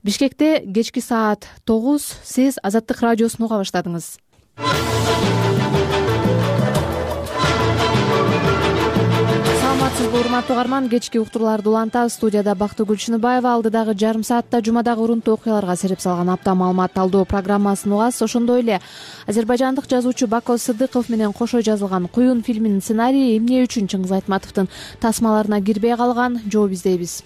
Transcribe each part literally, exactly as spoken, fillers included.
Бишкекте кечки саат тогуз. Сиз Азаттык радиосун уга баштадыңыз. Саламатсызбы урматтуу угарман, кечки уктурууларды улантабыз. Студияда Бактыгүл Чыныбаева. Алдыдагы жарым саатта жумадагы урунтуу окуяларга сереп салган апта маалымат талдоо программасын угасыз. Ошондой эле азербайжандык жазуучу Бако Сыдыков менен кошо жазылган Куюн фильминин сценарийи эмне үчүн Чыңгыз Айтматовдун тасмаларына кирбей калган? Жооп издейбиз.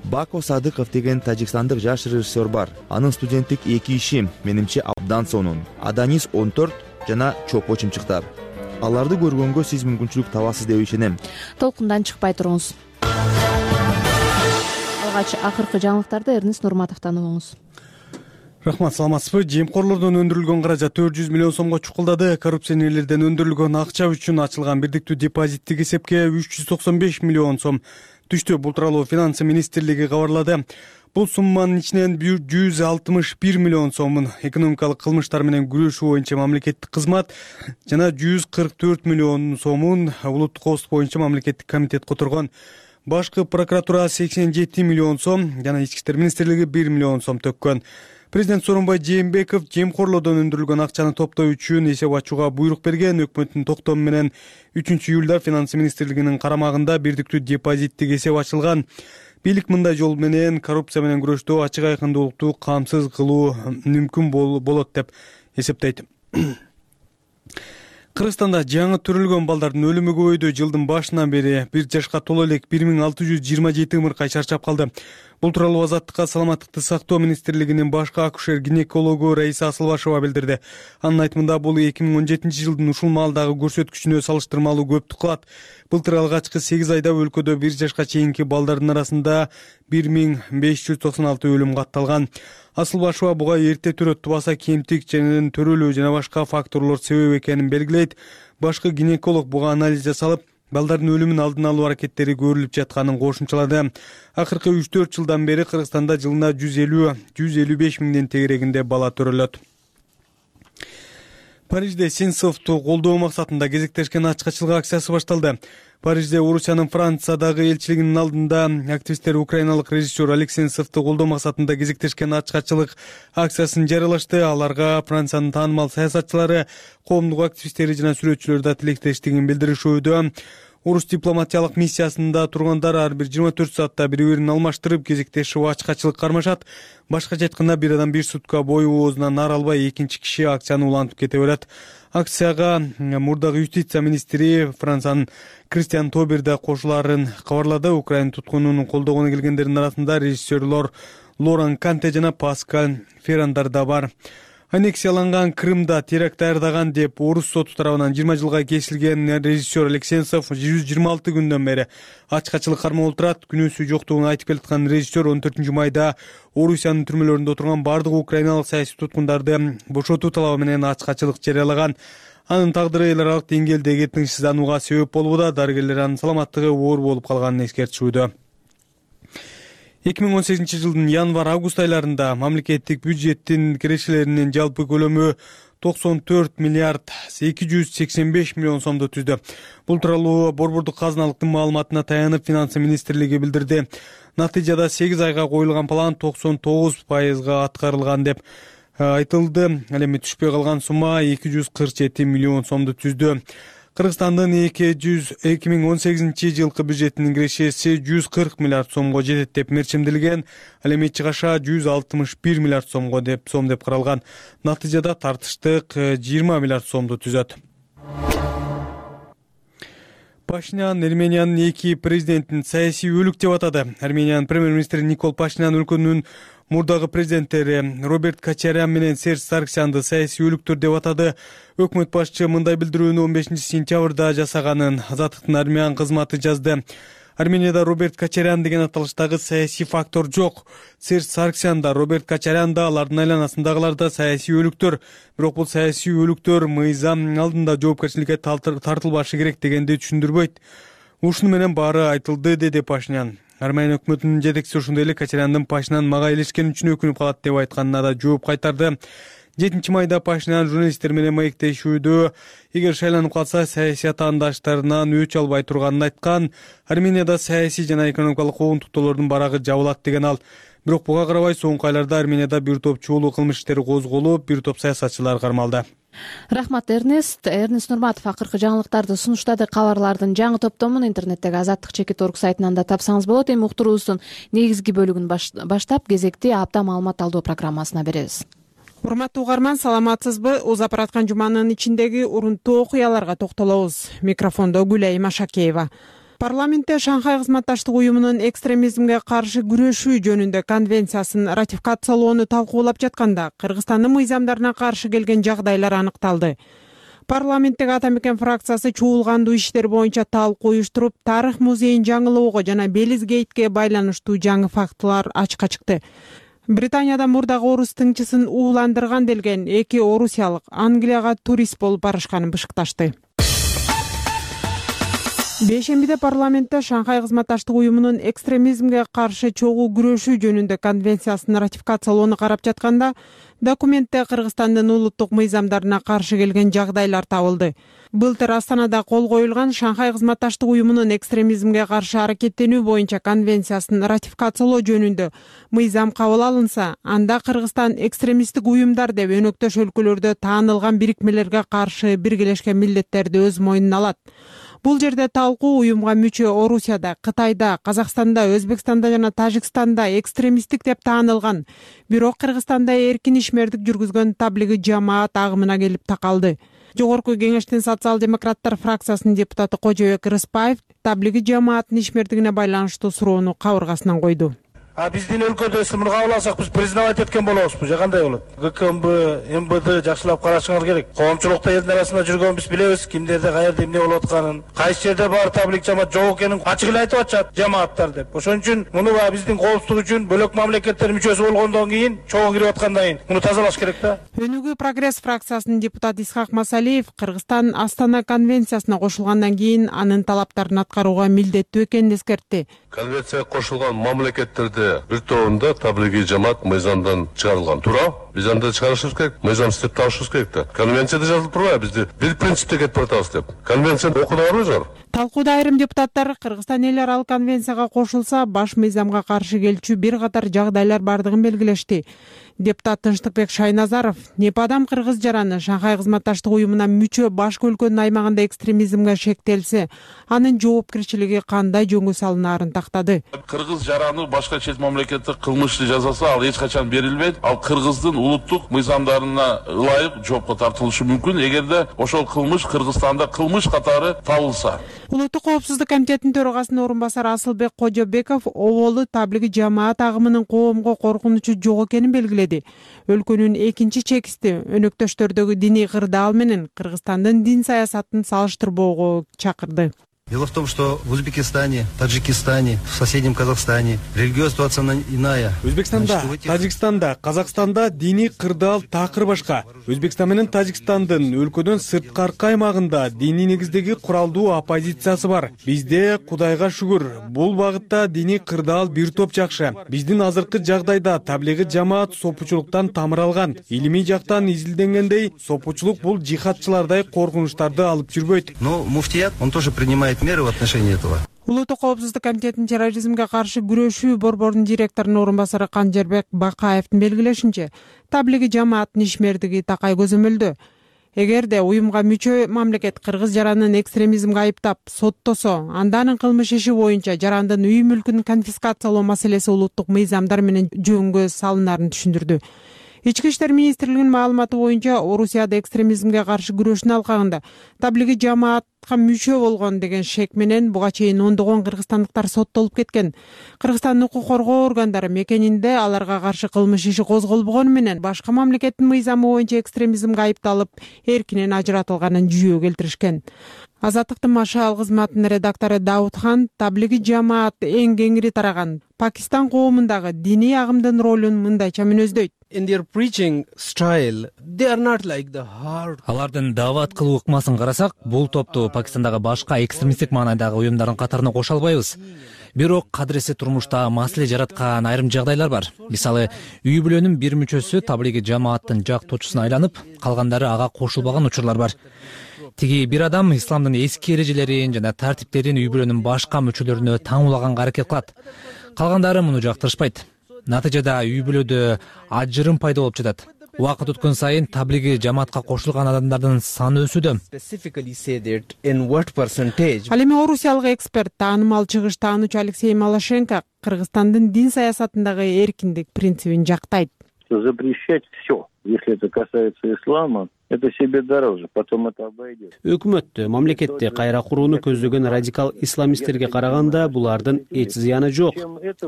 Бако Садыков деген тажикстандык жаш режиссер бар. Анын студенттик эки иши менимче абдан сонун: Аданис он төрт жана Чопо чымчыктар. Аларды көргөнгө сиз мүмкүнчүлүк табасыз деп ишенем. Толкундан чыкпай туруңуз. Алгач акыркы жаңылыктарды Эрнест Нурматовдон угуңуз. Рахмат, саламатсызбы? Жемкорлордон өндүрүлгөн каражат төрт жүз миллион сомго чукулдады. Коррупционерлерден өндүрүлгөн акча үчүн ачылган бирдиктүү депозиттик эсепке үч жүз токсон беш миллион сом түштү. Бул тууралуу Финансы министрлиги кабарлады. Бул сумманын ичинен жүз алтымыш бир миллион сомун экономикалык кылмыштар менен күрөшүү боюнча мамлекеттик кызмат жана жүз кырк төрт миллион сомун улуттук коопсуздук боюнча мамлекеттик комитет которгон. Башкы прокуратура сексен жети миллион сом жана Ички иштер министрлиги бир миллион сом төккөн. Президент Сооронбай Жээнбеков жемкорлордон өндүрүлгөн акчаны топтоо үчүн эсеп ачууга буйрук берген. Өкмөттүн токтому менен үчүнчү июлда Финансы министрлигинин карамагында бирдиктүү депозиттик эсеп ачылган. Бийлик мындай жол менен коррупция менен күрөштө ачык айкындуулукту камсыз кылуу мүмкүн болот деп эсептейт. Кыргызстанда жаңы төрөлгөн балдардын өлүмү көбөйдү. Жылдын башынан бери бир жашка толо элек бир миң алты жүз жыйырма жети ымыркай шарчап калды. Бул тууралуу Азаттыкка саламаттыкты сактоо министрлигинин башкы акушер-гинекологу Раиса Асылбашева билдирди. Анын айтымында бул эки миң он жетинчи жылдын ушул маалдагы көрсөткүчүнө салыштырмалуу көптүк кылат. Былтыр алгачкы сегиз айда өлкөдө бир жашка чейинки балдардын арасында бир миң беш жүз токсон алты өлүм катталган. Асылбашева буга эрте төрөттү баса кемтик жана төрөлүү жана башка факторлор себеп экенин белгилейт. Башкы гинеколог буга анализ жасалып, балдардын өлүмүн алдын алуу аракеттери көрүлүп жатканын кошумчалады. Акыркы үч төрт жылдан бери Кыргызстанда жылына жүз элүү — жүз элүү беш миңден тегерегинде бала төрөлөт. Парижде Сенцовду колдоо максатында кезектешкен ачкачылык акциясы башталды. Парижде Орусиянын Франциядагы элчилигинин алдында активисттер украиналык режиссер Олег Сенцовду колдоо максатында кезектешкен ачкачылык акциясын жарыялашты. Аларга Франциянын таанымал саясатчылары, коомдук активисттери жана сүрөтчүлөр да тилектештигин билдиришүүдө. Орус дипломатиялык миссиясында тургандар ар бир жыйырма төрт саатта бири-бирин алмаштырып кезектешип ачкачылык кармашат. Башкача айтканда, бир адам бир сутка бою оозунан наар албай экинчи киши акцияны улантып кете берет. Акцияга мурдагы юстиция министри Франциянын Кристиан Тобер да кошулаарын кабарлады. Украина туткунун колдогону келгендердин арасында режиссерлор Лоран Канте жана Паскаль Феррандар да бар. Аннексияланган Крымда теракт даярдаган деп орус соту тарабынан жыйырма жылга кесилген режиссер Олег Сенцов жүз жыйырма алты күндөн бери ачкачылык кармоодо отурат. Күнөөсү жоктугун айтып келаткан режиссер он төртүнчү майда Орусиянын түрмөлөрүндө отурган бардык украиналык саясий туткундарды бошотуу талабы менен ачкачылык жарыялаган. Анын тагдыры эл аралык деңгээлдеги тынчсызданууга себеп болууда. Дарыгерлер анын саламаттыгы оор болуп калганын эскертишүүдө. эки миң он сегизинчи жылдын январь-август айларында мамлекеттик бюджеттин кирешелеринин жалпы көлөмү токсон төрт миллиард эки жүз сексен беш миллион сомду түздү. Бул тууралуу Борбордук казыналыктын маалыматына таянып Финансы министрлиги билдирди. Натыйжада сегиз айга коюлган план токсон тогуз пайызга аткарылган деп айтылды. Ал эми түшпөй калган сумма эки жүз кырк жети миллион сомду түздү. Кыргызстандын эки миң он сегизинчи жылкы бюджетинин кирешеси жүз кырк миллиард сомго жетет деп мерчимделген. Ал эми чыгаша жүз алтымыш бир миллиард сомго деп сом деп каралган. Натыйжада тартыштык жыйырма миллиард сомду түзөт. Пашинян Армениянын эки президентин саясий өлүк деп атады. Армениянын премьер-министри Никол Пашинян өлкөнүн мурдагы президенттери Роберт Кочарян менен Серж Саргсянды саясий өлүктөр деп атады. Өкмөт башчы мындай билдирүүнү он бешинчи сентябрда жасаганын Азаттыктын Армян кызматы жазды. Арменияда Роберт Кочарян деген аталыштагы саясий фактор жок. Серж Саргсян да, Роберт Кочарян да, алардын айланасындагылар да саясий өлүктөр. Бирок бул саясий өлүктөр мыйзам алдында жоопкерчиликке тартылбашы керек дегенди түшүндүрбөйт. Ушуну менен баары айтылды, деди Пашинян. Армения өкмөтүнүн жетекчиси ошондой эле Кочаряндын Пашинан мага элешкен үчүн өкүнүп калат деп айтканына да жооп кайтарды. жетинчи майда Пашинян журналисттер менен маектешүүдө эгер шайланып калса саясий атаандаштарынан өч албай турганын айткан. Арменияда саясий жана экономикалык куугунтуктоолордун барагы жабылат деген ал. Бирок буга карабай соңку айларда Арменияда бир топ чуулуу кылмыш иштери козголуп, бир топ саясатчылар кармалды. Рахмат Эрнест. Эрнест Нурматов акыркы жаңылыктарды сунуштады. Кабарлардын жаңы топтомун интернеттеги азаттык чекит орг сайтынан да тапсаңыз болот. Эми уктуруубуздун негизги бөлүгүн баштап кезекти апта маалымат алуу программасына беребиз. Урматтуу угарман, саламатсызбы? Узап бараткан жуманын ичиндеги урунттуу окуяларга токтолобуз. Микрофондо Гүлай Машакеева. Парламентте Шанхай кызматташтык уюмунун экстремизмге каршы күрөшүү жөнүндө конвенциясын ратификациялоону талкуулап жатканда Кыргызстандын мыйзамдарына каршы келген жагдайлар аныкталды. Парламенттеги Ата Мекен фракциясы чуулгандуу иштер боюнча талкуу уюштуруп, тарых музейин жаңылоого жана Белизгейтке байланыштуу жаңы фактылар ачыкка чыкты. Британияда мурдагы орус тыңчысын ууландырган делген эки орусиялык Англияга турист болуп барышканын бышыкташты. Бейшембиде парламентте Шанхай кызматташтык уюмунун экстремизмге каршы чогуу күрөшүү жөнүндө конвенциясын ратификациялоону карап жатканда документте Кыргызстандын улуттук мыйзамдарына каршы келген жагдайлар табылды. Былтыр Астанада кол коюлган Шанхай кызматташтык уюмунун экстремизмге каршы аракеттенүү боюнча конвенциясын ратификациялоо жөнүндө мыйзам кабыл алынса, анда Кыргызстан экстремисттик уюмдар деп өнөктөш өлкөлөрдө таанылган бирикмелерге каршы биргелешкен милдеттерди өз мойнуна алат. Бул жерде талкуу уюмга мүчө Орусияда, Кытайда, Казакстанда, Өзбекстанда жана Тажикстанда экстремисттик деп таанылган, бирок Кыргызстанда эркин ишмердик жүргүзгөн таблиги жамаат агымына келип такалды. Жогорку кеңештин социал-демократтар фракциясынын депутаты Кожобек Рыспаев таблиги жамааттын ишмердигине байланыштуу суроону кабыргасынан койду. А биздин өлкөдө сымыр кабыл алсак биз признавать эткен болобузбу же кандай болот? ГКМБ, МБД жакшылап карашыңар керек. Коомчулукта элдин арасында жүргөнбүз билебиз, кимдерде каерде эмне болуп атканын, кайсы жерде бар таблик жамаат жок экенин ачык эле айтып атышат жамааттар деп. Ошон үчүн муну биздин коопсуздук үчүн бөлөк мамлекеттер мүчөсү болгондон кийин, чогуу кирип аткандан кийин муну тазалаш керек да. Өнүгүү прогресс фракциясынын депутаты Исхак Масалиев Кыргызстан Астана конвенциясына кошулгандан кийин анын талаптарын аткарууга милдеттүү экенин эскертти. Конвенцияга кошулган мамлекеттерде бир тобунда таблиги жамаат мыйзамдан чыгарылган. Туура? Биз анда чыгарышыбыз керек, мыйзам иштеп табышыбыз керек да. Конвенцияда жазылып турбайбы бизди бир принципте кетип атабыз деп. Конвенцияны окудуңарбы? Талкууда айрым депутаттар Кыргызстан эл аралык конвенцияга кошулса, баш мыйзамга каршы келчү бир катар жагдайлар бардыгын белгилешти. Депутат Тынчтыкбек Шайназаров Непадам кыргыз жараны Шанхай кызматташтык уюмуна мүчө башкы өлкөнүн аймагында экстремизмге шектелсе, анын жоопкерчилиги кандай жөнгө салынаарын тактады. Кыргыз жараны башка чет мамлекетте кылмышты жасаса, ал эч качан берилбейт. Ал Кыргыздын улуттук мыйзамдарына ылайык жоопко тартылышы мүмкүн, эгерде ошол кылмыш Кыргызстанда кылмыш катары табылса. Улуттук коопсуздук комитетинин төрагасынын орун басары Асылбек Кожобеков оболу таблиги жамаат агымынын коомго коркунучу жок экенин белгиледи. Өлкөнүн экинчи чекисти өнөктөштөрдөгү диний кырдаал менен Кыргызстандын дин саясатын салыштырбоого чакырды. Дело в том, что в Узбекистане, Таджикистане, в соседнем Казахстане религиозная ситуация иная. Өзбекстанда, Таджикстанда, Казакстанда диний кырдаал такыр башка. Өзбекстан менен Тажикстандын өлкөдөн сырткаркы аймагында диний негиздеги куралдуу оппозициясы бар. Бизде Кудайга шүгүр, бул багытта диний кырдаал бир топ жакшы. Биздин азыркы жагдайда таблиги жамаат сопучулуктан тамыр алган. Илимий жактан изилденгендей, сопучулук бул жихадчылардай коркунучтарды алып жүрбөйт. Но муфтият, он тоже принимает меры в отношении этого. Улуттук коопсуздук комитетинин терроризмге каршы күрөшүү борборунун директорунун орун басары Канжербек Бакаевдин белгилешинче, таблиги жамааттын ишмердиги такай көзөмөлдө. Эгерде уюмга мүчө мамлекет кыргыз жаранын экстремизмге айыптап соттосо, анда анын кылмыш иши боюнча жарандын үй мүлкүн конфискациялоо маселеси улуттук мыйзамдар менен жөнгө салынарын түшүндүрдү. Ички иштер министрлигинин маалыматы боюнча Орусияда экстремизмге каршы күрөшүүнүн алкагында таблиги жамаатка мүчө болгон деген шек менен буга чейин ондогон кыргызстандыктар соттолуп кеткен. Кыргызстандын укук коргоо органдары мекенинде аларга каршы кылмыш иши козголбогону менен башка мамлекеттин мыйзамы боюнча экстремизмге айыпталып, эркинен ажыратылганын жүйө келтиришкен. Азаттыктын машаал кызматынын редактору Даудхан таблиги жамаат эң кеңири тараган Пакистан коомундагы диний агымдын ролун мындайча мүнөздөйт. Алардын даават кылуу ыкмасын карасак, бул топту Пакистандагы башка экстремисттик маанайдагы уюмдардын катарына кошо албайбыз. Бирок кадыресе турмушта маселе жараткан айрым жагдайлар бар. Мисалы, үй бүлөнүн бир мүчөсү таблиги жамааттын жактоочусуна айланып, калгандары ага кошулбаган учурлар бар. Тиги бир адам исламдын эски эрежелерин жана тартиптерин үй бүлөнүн башка мүчөлөрүнө таңуулаганга аракет кылат. Калгандары муну жактырышпайт. Натыйжада үй бүлөдө ажырым пайда болуп жатат. Убакыт өткөн сайын таблиги жамаатка кошулган адамдардын саны өсүүдө. Ал эми орусиялык эксперт, таанымал чыгыш таануучу Алексей Малашенко Кыргызстандын дин саясатындагы эркиндик принцибин жактайт. Запрещать все, если это касается ислама, это себе дороже, потом это обойдет. Өкмөттө, мамлекетте кайра курууну көздөгөн радикал исламисттерге караганда булардын эч зыяны жок.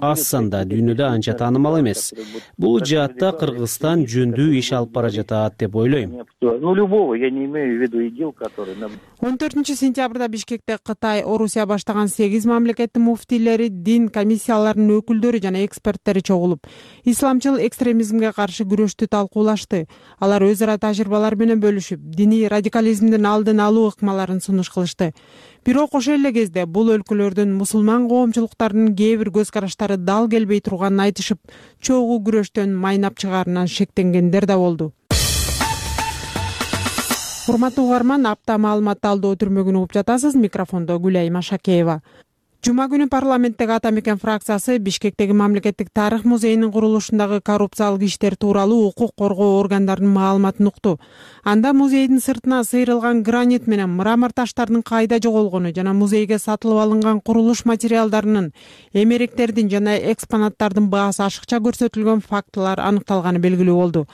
Аз санда дүйнөдө анча таанымал эмес. Бул жаатта Кыргызстан жөндүү иш алып бара жатат деп ойлойм. Ну, любого, я не имею в виду идил, который... он төртүнчү сентябрда Бишкекте Кытай, Орусия баштаган сегиз мамлекеттин муфтийлери, дин комиссияларынын өкүлдөрү жана эксперттери чогулуп, исламчыл экстремизмге каршы күрөштү талкуулашты. Алар өз ара тажрыйбалар менен бөлүшүп, диний радикализмдин алдын алуу ыкмаларын сунуш кылышты. Бирок ошол эле кезде бул өлкөлөрдүн мусулман коомчулуктарынын кээ бир көз караштары дал келбей турганын айтышып, чогуу күрөштөн майнап чыгаарынан шектенгендер да болду. Урматтуу угарман, апта маалымат талдоо түрмөгүн угуп жатасыз. Микрофондо Гүлайым Ашакеева. Жума күнү парламенттеги Ата Мекен фракциясы Бишкектеги мамлекеттик тарых музейинин курулушундагы коррупциялык иштер тууралуу укук коргоо органдарынын маалыматын укту. Анда музейдин сыртына сыйрылган гранит менен мрамор таштардын кайда жоголгону жана музейге сатылып алынган курулуш материалдарынын, эмеректердин жана экспонаттардын баасы ашыкча көрсөтүлгөн фактылар аныкталганы белгилүү болду.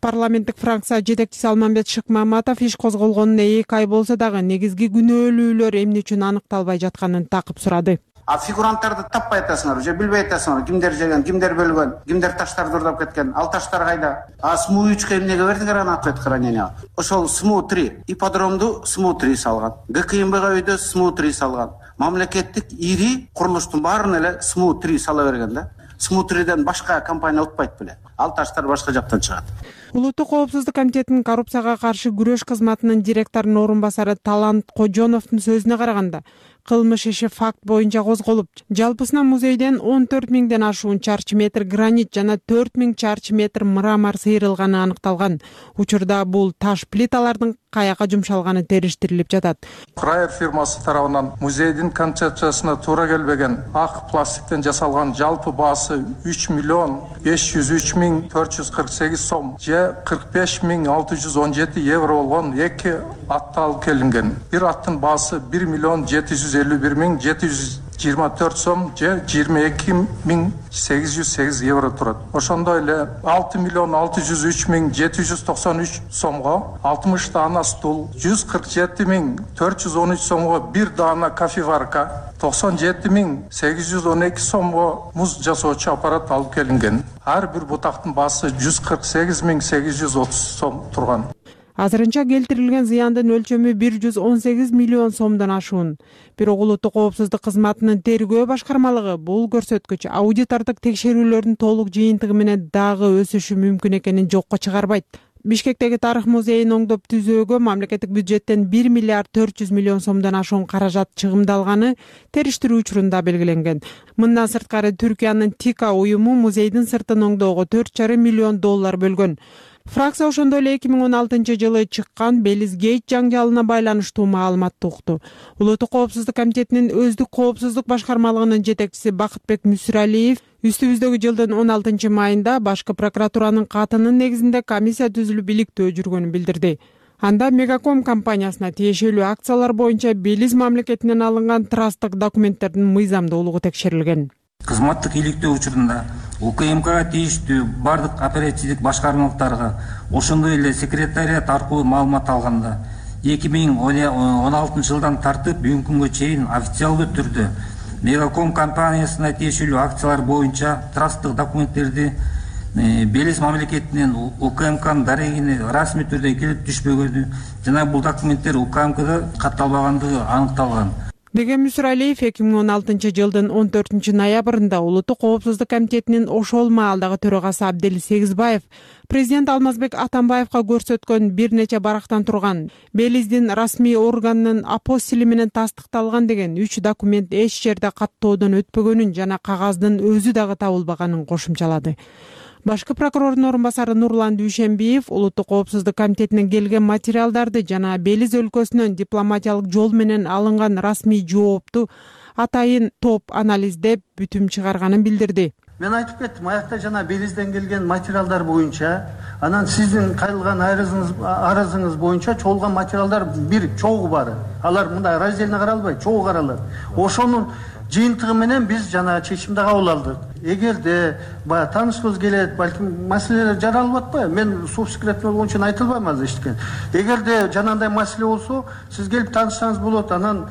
Парламенттик фракция жетекчиси Алмамбет Шыкмаматов иш козголгонуна эки ай болсо дагы негизги күнөөлүүлөр эмне үчүн аныкталбай жатканын такып сурады. А фигуранттарды таппай атасыңар, же билбей атасыңар, кимдер жеген, кимдер бөлгөн, кимдер таштарды урдап кеткен, ал таштар кайда? А СМУ үчкө эмнеге бердиңер аны ответ хранение? Ошол СМУ три, ипподромду СМУ три салган, ГКМБга үйдө СМУ три салган. Мамлекеттик ири курулуштун баарын эле СМУ три сала берген да. СМУ триден башка компания утпайт беле. Ал таштар башка жактан чыгат. Улуттук коопсуздук комитетинин коррупцияга каршы күрөш кызматынын директорунун орун басары Талант Кожоновдун сөзүнө караганда, кылмыш иши факт боюнча козголуп, жалпысынан музейден он төрт миңден ашуун чарчы метр гранит жана төрт миң чарчы метр мрамор сыйрылганы аныкталган. Учурда бул таш плиталардын каяка жумшалганы териштирилип жатат. Крайер фирмасы тарабынан музейдин концепциясына туура келбеген ак пластиктен жасалган жалпы баасы үч миллион беш жүз үч миң төрт жүз кырк сегиз сом же кырк беш миң алты жүз он жети евро болгон эки атты алып келинген. Бир аттын баасы бир миллион жети жүз элүү бир миң жети жүз жыйырма төрт сом же жыйырма эки миң сегиз жүз сегиз евро турат. Ошондой эле алты миллион алты жүз үч миң жети жүз токсон үч сомго алтымыш даана стул, жүз кырк жети миң төрт жүз он үч сомго бир даана кофеварка, токсон жети миң сегиз жүз он эки сомго муз жасоочу аппарат алып келинген. Ар бир бутактын баасы жүз кырк сегиз миң сегиз жүз отуз сом турган. Азырынча келтирилген зыяндын өлчөмү бир жүз он сегиз миллион сомдон ашуун. Бирок улуттук коопсуздук кызматынын тергөө башкармалыгы бул көрсөткүч аудитордук текшерүүлөрдүн толук жыйынтыгы менен дагы өсүшү мүмкүн экенин жокко чыгарбайт. Бишкектеги тарых музейин оңдоп түзөөгө мамлекеттик бюджеттен бир миллиард төрт жүз миллион сомдон ашуун каражат чыгымдалганы териштирүү учурунда белгиленген. Мындан сырткары Түркиянын ТИКА уюму музейдин сыртын оңдоого төрт жарым миллион доллар бөлгөн. Фракция ошондой эле эки миң он алтынчы жылы чыккан Белиз Гейт жаңжалына байланыштуу маалыматты укту. Улуттук коопсуздук комитетинин өздүк коопсуздук башкармалыгынын жетекчиси Бакытбек Мүсүралиев үстүбүздөгү жылдын он алтынчы майында башкы прокуратуранын катынын негизинде комиссия түзүлүп иликтөө жүргөнүн билдирди. Анда Мегаком компаниясына тиешелүү акциялар боюнча Белиз мамлекетинен алынган трасттык документтердин мыйзамдуулугу текшерилген. Кызматтык иликтөө учурунда УКМКга тийиштүү бардык оперативдик башкармалыктарга ошондой эле секретариат аркылуу маалымат алганда эки миң он алтынчы жылдан тартып бүгүнкү күнгө чейин официалдуу түрдө Мегаком компаниясына тиешелүү акциялар боюнча трасттык документтерди Белиз мамлекетинен УКМКнын дарегине расмий түрдө келип түшпөгөнү жана бул документтер УКМКда катталбагандыгы аныкталган. деген Мүсүралиев эки миң он алтынчы жылдын он төртүнчү ноябрында Улуттук коопсуздук комитетинин ошол маалдагы төрагасы Абдел Сегизбаев президент Алмазбек Атамбаевга көрсөткөн бир нече барактан турган Белиздин расмий органынын апостили менен тастыкталган деген үч документ эч жерде каттоодон өтпөгөнүн жана кагаздын өзү дагы табылбаганын кошумчалады. Башкы прокурордун орун басары Нурлан Дүйшенбиев Улуттук коопсуздук комитетинен келген материалдарды жана Белиз өлкөсүнөн дипломатиялык жол менен алынган расмий жоопту атайын топ анализдеп бүтүм чыгарганын билдирди. Мен айтып кеттим, аякта жана Белизден келген материалдар боюнча, анан сиздин кайрылган арызыңыз боюнча чогулган материалдар бир чогуу бар. Алар мындай разделно каралбайт, чогуу каралат. Ошонун жыйынтыгы менен биз жана чечим да кабыл алдык. Эгерде баягы таанышкыбыз келет, балким маселелер жаралып атпайбы? Мен субсекретный болгон үчүн айта албайм азыр эчтекен. Эгерде жанагындай маселе болсо, сиз келип таанышсаңыз болот. Анан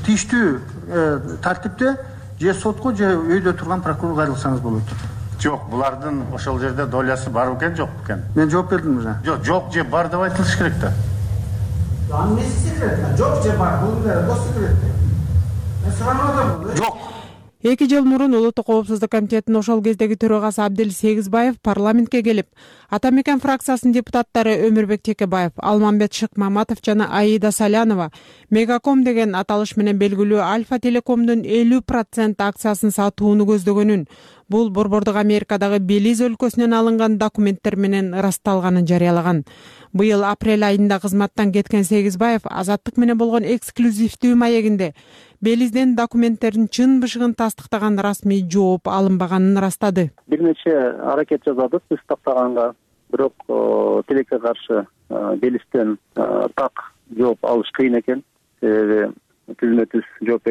тийиштүү тартипте же сотко же өйдө турган прокурор кайрылсаңыз болот. Жок, булардын ошол жерде долясы бар экен, жок экен? Мен жооп бердим уже. Жок, жок же бар деп айтылыш керек да. Анын эмеси секрет, жок же бар, бул гос секрет. Жок. Эки жыл мурун Улуттук коопсуздук комитетинин ошол кездеги төрагасы Абдел Сегизбаев парламентке келип, Ата мекен фракциясынын депутаттары Өмүрбек Текебаев, Алмамбет Шыкмаматов жана Аида Салянова Мегаком деген аталыш менен белгилүү Альфа Телекомдун элүү процент акциясын сатууну көздөгөнүн, бул Борбордук Америкадагы Белиз өлкөсүнөн алынган документтер менен ырасталганын жарыялаган. Быйыл апрель айында кызматтан кеткен Сегизбаев Азаттык менен болгон эксклюзивдүү маегинде Белизден документтердин чын бышыгын тастыктаган расмий жооп алынбаганын ырастады. Бир нече аракет жасадык биз тактаганга, бирок тилекке каршы Белизден так жооп алыш кыйын экен. Себеби түзмө түз жооп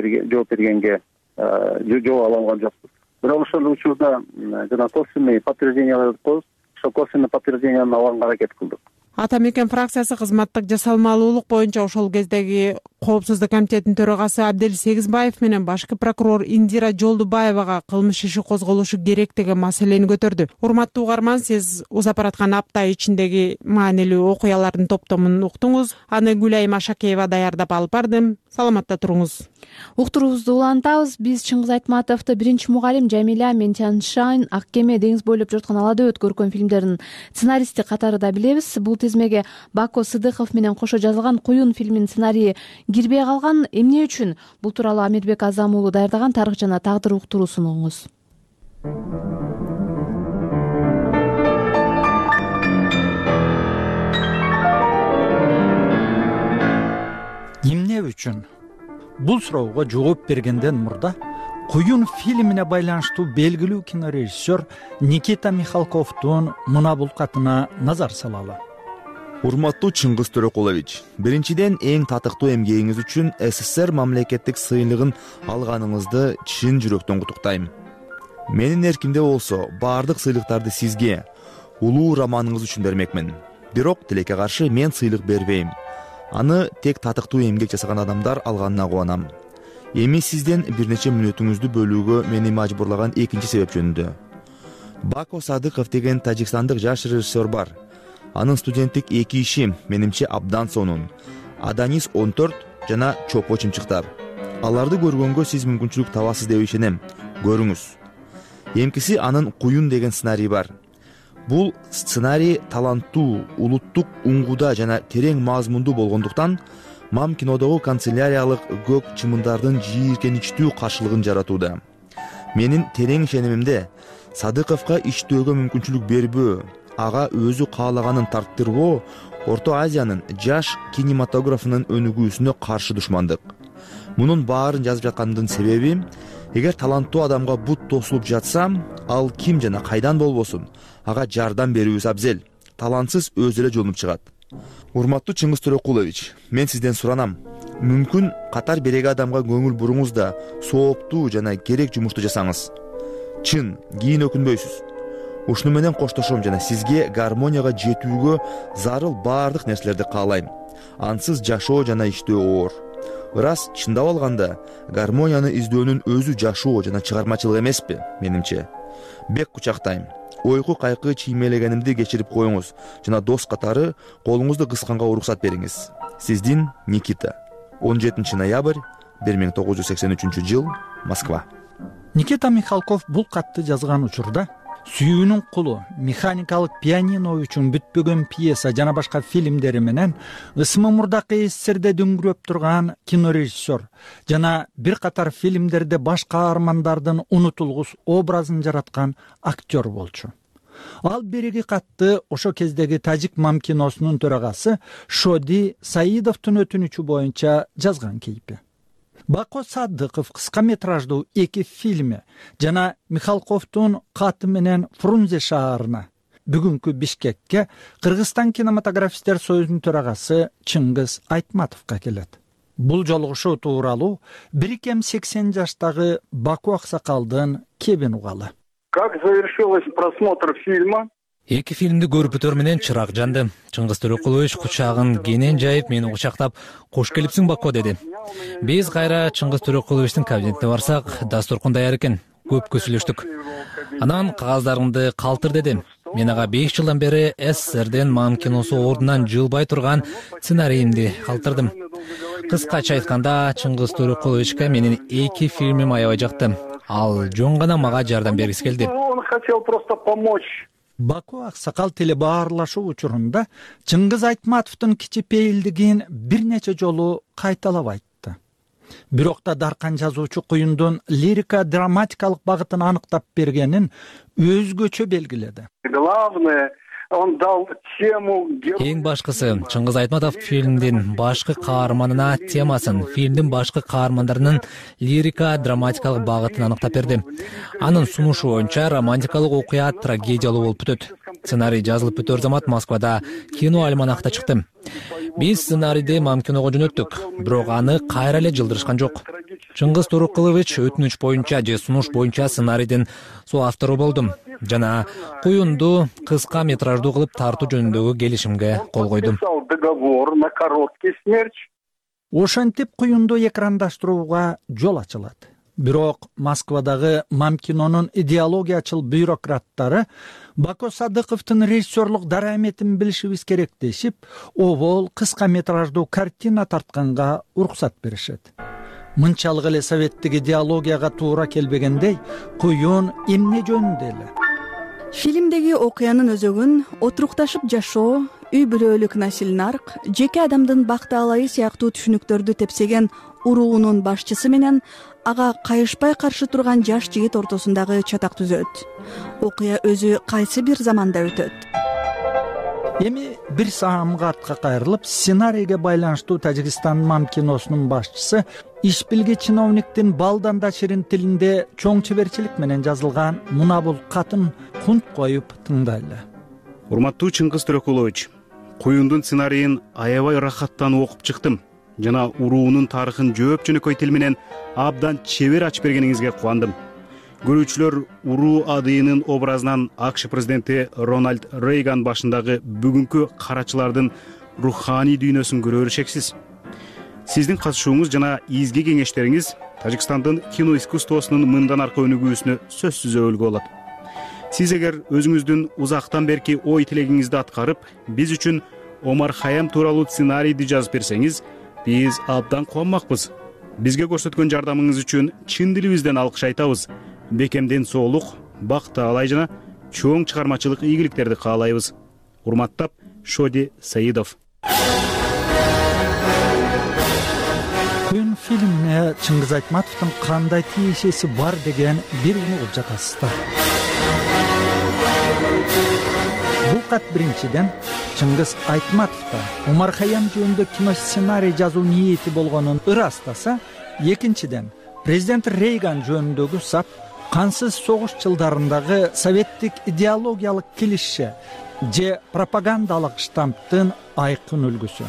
бергенге жооп ала алган жокпуз. Бирок ошол учурда жана косвенный подтверждениялар коюп, ошол косвенный подтвержденияны алганга аракет кылдык. Ата мекен фракциясы кызматтык жасалмалуулук боюнча ошол кездеги коопсуздук комитетинин төрагасы Абдел Сегизбаев менен башкы прокурор Индира Жолдубаевага кылмыш иши козголушу керек деген маселени көтөрдү. Урматтуу угарман, сиз узап бараткан апта ичиндеги маанилүү окуялардын топтомун уктуңуз. Аны Гүлайым Ашакеева даярдап алып бардым. Саламатта туруңуз. Уктуруубузду улантабыз. Биз Чыңгыз Айтматовду биринчи мугалим Жамиля Менчаншайн Ак кеме деңиз бойлоп жаткан алада өт көркөм фильмдеринин сценаристи катары да билебиз. Бул тизмеге Бако Сыдыков менен кошо жазылган Куюн фильминин сценарийи кирбей калган. Эмне үчүн? Бул тууралуу Амирбек Азам уулу даярдаган Тарых жана тагдыр уктуруу сунуңуз. Эмне үчүн? Бул суроого жооп бергенден мурда Куюн фильмине байланыштуу белгилүү кинорежиссер Никита Михалковдун мына бул катына назар салалы. Урматтуу Чыңгыз Төрөкулович, биринчиден эң татыктуу эмгегиңиз үчүн СССР мамлекеттик сыйлыгын алганыңызды чын жүрөктөн куттуктайм. Менин эркимде болсо, баардык сыйлыктарды сизге, улуу романыңыз үчүн бермекмин. Бирок тилекке каршы мен сыйлык бербейм. Аны тек татыктуу эмгек жасаган адамдар алганына кубанам. Эми сизден бир нече мүнөтүңүздү бөлүүгө мени мажбурлаган экинчи себеп жөнүндө. Бако Садыков деген тажикстандык жаш режиссер бар. Анын студенттик эки иши менимче абдан сонун. Аданис он төрт жана Чопо чымчыктар. Аларды көргөнгө сиз мүмкүнчүлүк табасыз деп ишенем. Көрүңүз. Эмкиси анын Куюн деген сценарий бар. Бул сценарий таланттуу, улуттук уңгуда жана терең мазмундуу болгондуктан Мам кинодогу канцеляриялык көк чымындардын жийиркеничтүү каршылыгын жаратууда. Менин терең ишенимимде Садыковго иштөөгө мүмкүнчүлүк бербөө, ага өзү каалаганын тарттырбоо Орто Азиянын жаш кинематографынын өнүгүүсүнө каршы душмандык. Мунун баарын жазып жаткандын себеби, эгер таланттуу адамга бут тосулуп жатса, ал ким жана кайдан болбосун, ага жардам берүүбүз абзел. Талантсыз өзү эле жолунуп чыгат. Урматтуу Чыңгыз Төрөкулович, мен сизден суранам. Мүмкүн катар береги адамга көңүл буруңуз да сооптуу жана керек жумушту жасаңыз. Чын, кийин өкүнбөйсүз. Ушуну менен коштошом жана сизге гармонияга жетүүгө зарыл баардык нерселерди каалайм. Ансыз жашоо жана иштөө оор. Ырас, чындап алганда, гармонияны издөөнүн өзү жашоо жана чыгармачылык эмеспи, менимче. Бек кучактайм. Ойку кайкы чиймелегенимди кечирип коюңуз жана дос катары колуңузду кысканга уруксат бериңиз. Сиздин Никита. он жетинчи ноябрь бир миң тогуз жүз сексен үчүнчү жыл, Москва. Никита Михалков бул катты жазган учурда Сүйүүнүн кулу, Механикалык пианино үчүн бүтпөгөн пьеса жана башка фильмдери менен ысымы мурдакы СССРде дөңгүрөп турган кинорежиссер жана бир катар фильмдерде баш каармандардын унутулгус образын жараткан актер болчу. Ал береги катты ошо кездеги Тажик мам киносунун төрагасы Шоди Саидовдун өтүнүчү боюнча жазган кейпи. Бако Садыков кыска метраждуу эки фильми жана Михалковдун каты менен Фрунзе шаарына, бүгүнкү Бишкекке Кыргызстан кинематографисттер союзунун төрагасы Чыңгыз Айтматовго келет. Бул жолугушуу тууралуу бир кем сексен жаштагы Баку аксакалдын кебин угалы. Как завершилась просмотр фильма? Эки фильмди көрүп бүтөр менен чырак жанды. Чыңгыз Төрөкулович кучагын кенен жайып мени кучактап, "Кош келипсиң, Бако" деди. Биз кайра Чыңгыз Төрөкуловичтин кабинетине барсак, дасторкон даяр экен. Көпкө сүйлөштүк. Анан кагаздарыңды калтыр деди. Мен ага беш жылдан бери СССРден мам киносу ордунан жылбай турган сценарийимди калтырдым. Кыскача айтканда, Чыңгыз Төрөкуловичке менин эки фильмим аябай жакты. Ал жөн гана мага жардам бергиси келди. Он хотел просто помочь. Баку аксакал телебаарлашуу учурунда Чыңгыз Айтматовдун кичипейилдигин бир нече жолу кайталап айтты. Бирок да даркан жазуучу куюндун лирика драматикалык багытын аныктап бергенин өзгөчө белгиледи. Главное, он дал тему. Эң башкысы, Чыңгыз Айтматов фильмдин башкы каарманына темасын, фильмдин башкы каармандарынын лирика драматикалык багытын аныктап берди. Анын сунушу боюнча романтикалык окуя трагедиялуу болуп бүтөт. Сценарий жазылып бүтөр замат Москвада кино альманахта чыкты. Биз сценарийди мам киного жөнөттүк, бирок аны кайра эле жылдырышкан жок. Чыңгыз Төрөкулович өтүнүч боюнча же сунуш боюнча сценарийдин соавтору болдум жана куюнду кыска метраждуу кылып тартуу жөнүндөгү келишимге кол койдум. Договор на короткий смерч. Ошентип куюнду экрандаштырууга жол ачылат. Бирок Москвадагы мам кинонун идеологиячыл бюрократтары Бако Садыковдун режиссерлук дараметин билишибиз керек дешип, обол кыска метраждуу картина тартканга уруксат беришет. Мынчалык эле советтик идеологияга туура келбегендей, куюн эмне жөнүндө эле? Фильмдеги окуянын өзөгүн отурукташып жашоо, үй бүлөлүк насилнарк, жеке адамдын бактаалайы сыяктуу түшүнүктөрдү тепсеген уруунун башчысы менен ага кайышпай каршы турган жаш жигит ортосундагы чатак түзөт. Окуя өзү кайсы бир заманда өтөт. Эми бир саамга артка кайрылып, сценарийге байланыштуу Тажикстан мам киносунун башчысы иш билги чиновниктин балданда ширин тилинде чоң чеберчилик менен жазылган мына бул катын кунт коюп тыңдайлы. Урматтуу Чыңгыз Төрөкулович, куюндун сценарийин аябай рахаттанып окуп чыктым жана уруунун тарыхын жөөп жөнөкөй тил менен абдан чебер ачып бергениңизге кубандым. Көрүүчүлөр уруу адыйынын образынан АКШ президенти Рональд Рейган башындагы бүгүнкү карачылардын руханий дүйнөсүн көрөрү шексиз. Сиздин катышууңуз жана изги кеңештериңиз Тажикстандын кино искусствосунун мындан аркы өнүгүүсүнө сөзсүз өбөлгө болот. Сиз эгер өзүңүздүн узактан берки ой тилегиңизди аткарып, биз үчүн Омар Хаям тууралуу сценарийди жазып берсеңиз, биз абдан кубанмакпыз. Бизге көрсөткөн жардамыңыз үчүн чын дилибизден алкыш айтабыз. Бекемден соолук, бак таалай жана чоң чыгармачылык ийгиликтерди каалайбыз. Урматтап, Шоди Саидов. Күйүн фильмине Чыңгыз Айтматовдун кандай тиешеси бар деген бир угуп жатасыздар. Бул кат биринчиден Чыңгыз Айтматовдо Омар Хаям жөнүндө кино сценарий жазуу ниети болгонун ырастаса, экинчиден президент Рейган жөнүндөгү сап кансыз согуш жылдарындагы советтик идеологиялык килишше же пропагандалык штамптын айкын үлгүсү.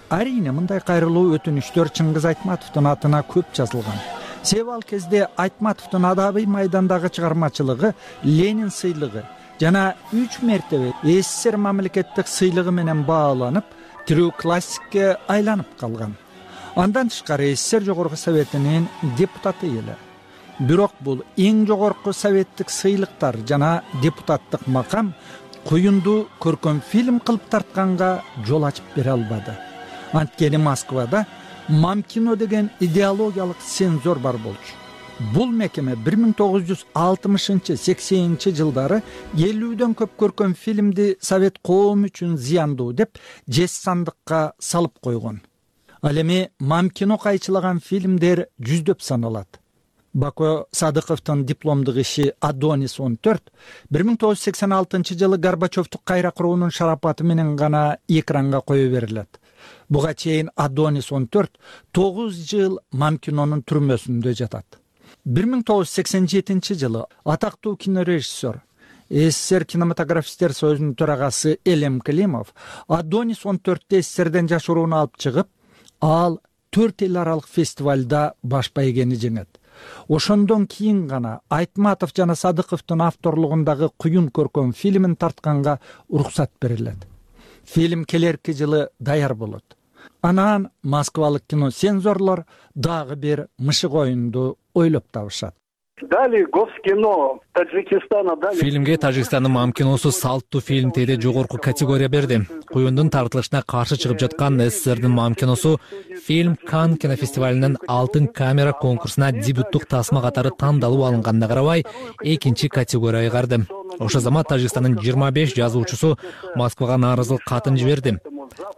Арийне мындай кайрылуу өтүнүчтөр Чыңгыз Айтматовдун атына көп жазылган. Себеби ал кезде Айтматовдун адабый майдандагы чыгармачылыгы Ленин сыйлыгы жана үч мертебе СССР мамлекеттик сыйлыгы менен бааланып, тирүү классикке айланып калган. Андан тышкары СССР Жогорку Советинин депутаты эле. Бирок бул эң жогорку советтик сыйлыктар жана депутаттык макам куюнду көркөм фильм кылып тартканга жол ачып бере албады. Анткени Москвада мамкино деген идеологиялык цензор бар болчу. Бул мекеме бир миң тогуз жүз алтымышынчы сексенинчи жылдары элүүдөн көп көркөм фильмди совет коому үчүн зыяндуу деп жез сандыкка салып койгон. Ал эми мамкино кайчылаган фильмдер жүздөп саналат. Бако Садыковдун дипломдук иши Адонис он төрт бир миң тогуз жүз сексен алтынчы жылы Горбачевду кайра куруунун шарапаты менен гана экранга кое берилет. Буга чейин Адонис он төрт тогуз жыл мамкинонун түрмөсүндө жатат. бир миң тогуз жүз сексен жетинчи жылы атактуу кинорежиссер, СССР кинематографисттер союзунун төрагасы Элем Климов Адонис он төрттү СССРден жашырууну алып чыгып, ал төрт эл аралык фестивалда баш байгени жеңет. Ошондон кийин гана Айтматов жана Садыковдун авторлугундагы Куюн көркөм фильмин тартканга уруксат берилет. Фильм келерки жылы даяр болот. Анан москвалык киноцензорлор дагы бир мышык оюнду ойлоп табышат. Дали Госкино Таджикистана дали. Фильмге Тажикстандын мамкиносу салттуу фильм теде жогорку категория берди. Куюндун тартылышына каршы чыгып жаткан СССРдин мамкиносу фильм Кан кинофестивалинин алтын камера конкурсуна дебюттук тасма катары тандалып алынганына карабай экинчи категорияга карды. Ошол замат Тажикстандын жыйырма беш жазуучусу Москвага нааразылык катын жиберди.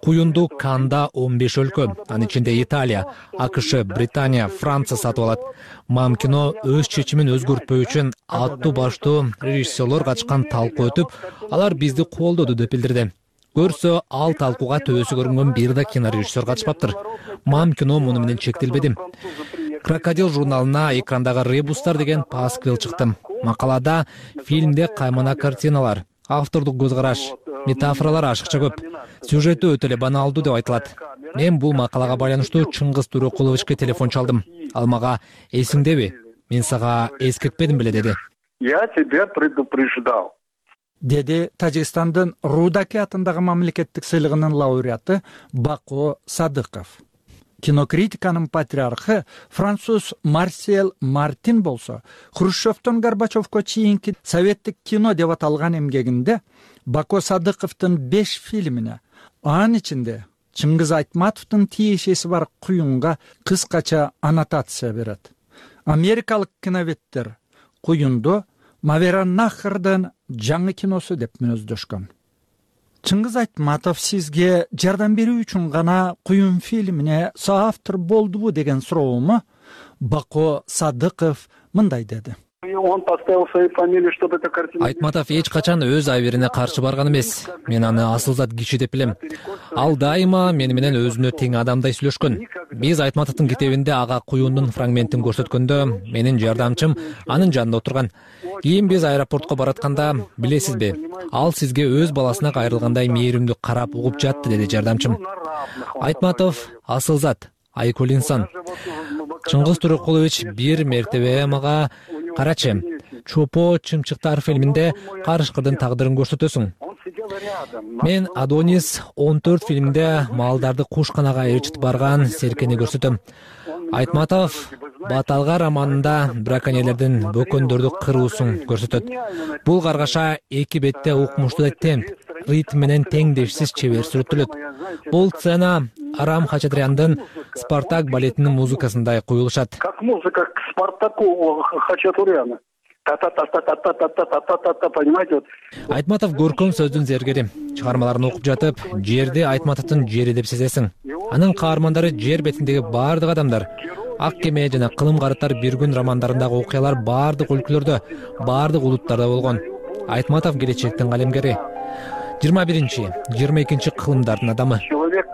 Куюнду Канда он беш өлкө, анын ичинде Италия, АКШ, Британия, Франция сатып алат. Мамкино өз чечимин өзгөртпөө үчүн аттуу баштуу режиссерлор катышкан талкуу өтүп, алар бизди колдоду деп билдирди. Көрсө, ал талкууга төбөсү көрүнгөн бир да кинорежиссер катышпаптыр. Мамкино муну менен чектелбеди. Крокодил журналына экрандагы ребустар деген пасквил чыкты. Макалада фильмде каймана картиналар, автордук көз караш, метафоралар ашыкча көп. Сюжети өтө эле баналдуу деп айтылат. Мен бул макалага байланыштуу Чыңгыз Төрөкуловичке телефон чалдым. Ал мага эсиңдеби? Мен сага эскертпедим беле деди. Я тебя предупреждал. Деди Тажикстандын Рудаки атындагы мамлекеттик сыйлыгынын лауреаты Бако Садыков. Кинокритиканын патриархы француз Марсел Мартин болсо, Хрущевдон Горбачевго чейинки советтик кино деп аталган эмгегинде Бако Садыковдун беш фильмине, анын ичинде Чыңгыз Айтматовдун тиешеси бар Куюнга кыскача аннотация берет. Америкалык киноветтер Куюнду Мавераннахрдын жаңы киносу деп мүнөздөшкөн. Чыңгыз Айтматов сизге жардам берүү үчүн гана Куюн фильмине соавтор болдубу деген суроому Бако Садыков мындай деди. Он поставил свою фамилию, чтобы эта картина... Айтматов эч качан өз айберине каршы барган эмес. Мен аны асылзат киши деп билем. Ал дайыма мени менен өзүнө тең адамдай сүйлөшкөн. Биз Айтматовдун китебинде ага Куюндун фрагментин көрсөткөндө менин жардамчым анын жанында отурган. Кийин биз аэропортко баратканда, билесизби, ал сизге өз баласына кайрылгандай мээримдүү карап угуп жатты, деди жардамчым. Айтматов асылзат, айкөл инсан. Чыңгыз Төрөкулович бир мертебе мага карачы, Чопо чымчыктар фильминде карышкырдын тагдырын көрсөтөсүң. Мен Адонис он төрт фильминде малдарды кушканага ээрчитип барган серкени көрсөтөм. Айтматов Баталга романында браконьерлердин бөкөндөрдү кыруусун көрсөтөт. Бул каргаша эки бетте укмуштуу темп, ритм менен теңдешсиз чебер сүрөттөлөт. Бул сцена Арам Хачатряндын Спартак балетинин музыкасындай куюлушат. Как музыка к Спартаку Хачатуряна. Та-та-та-та-та-та-та-та-та-та-та, понимаете? Айтматов көркөм сөздүн зергери. Чыгармаларын окуп жатып, жерди Айтматовдун жери деп сезесиң. Анын каармандары жер бетиндеги бардык адамдар. Ак кеме жана Кылым карыттар бир күн романдарындагы окуялар бардык өлкөлөрдө, бардык улуттарда болгон. Айтматов келечектин калемгери. жыйырма биринчи, жыйырма экинчи кылымдардын адамы. Человек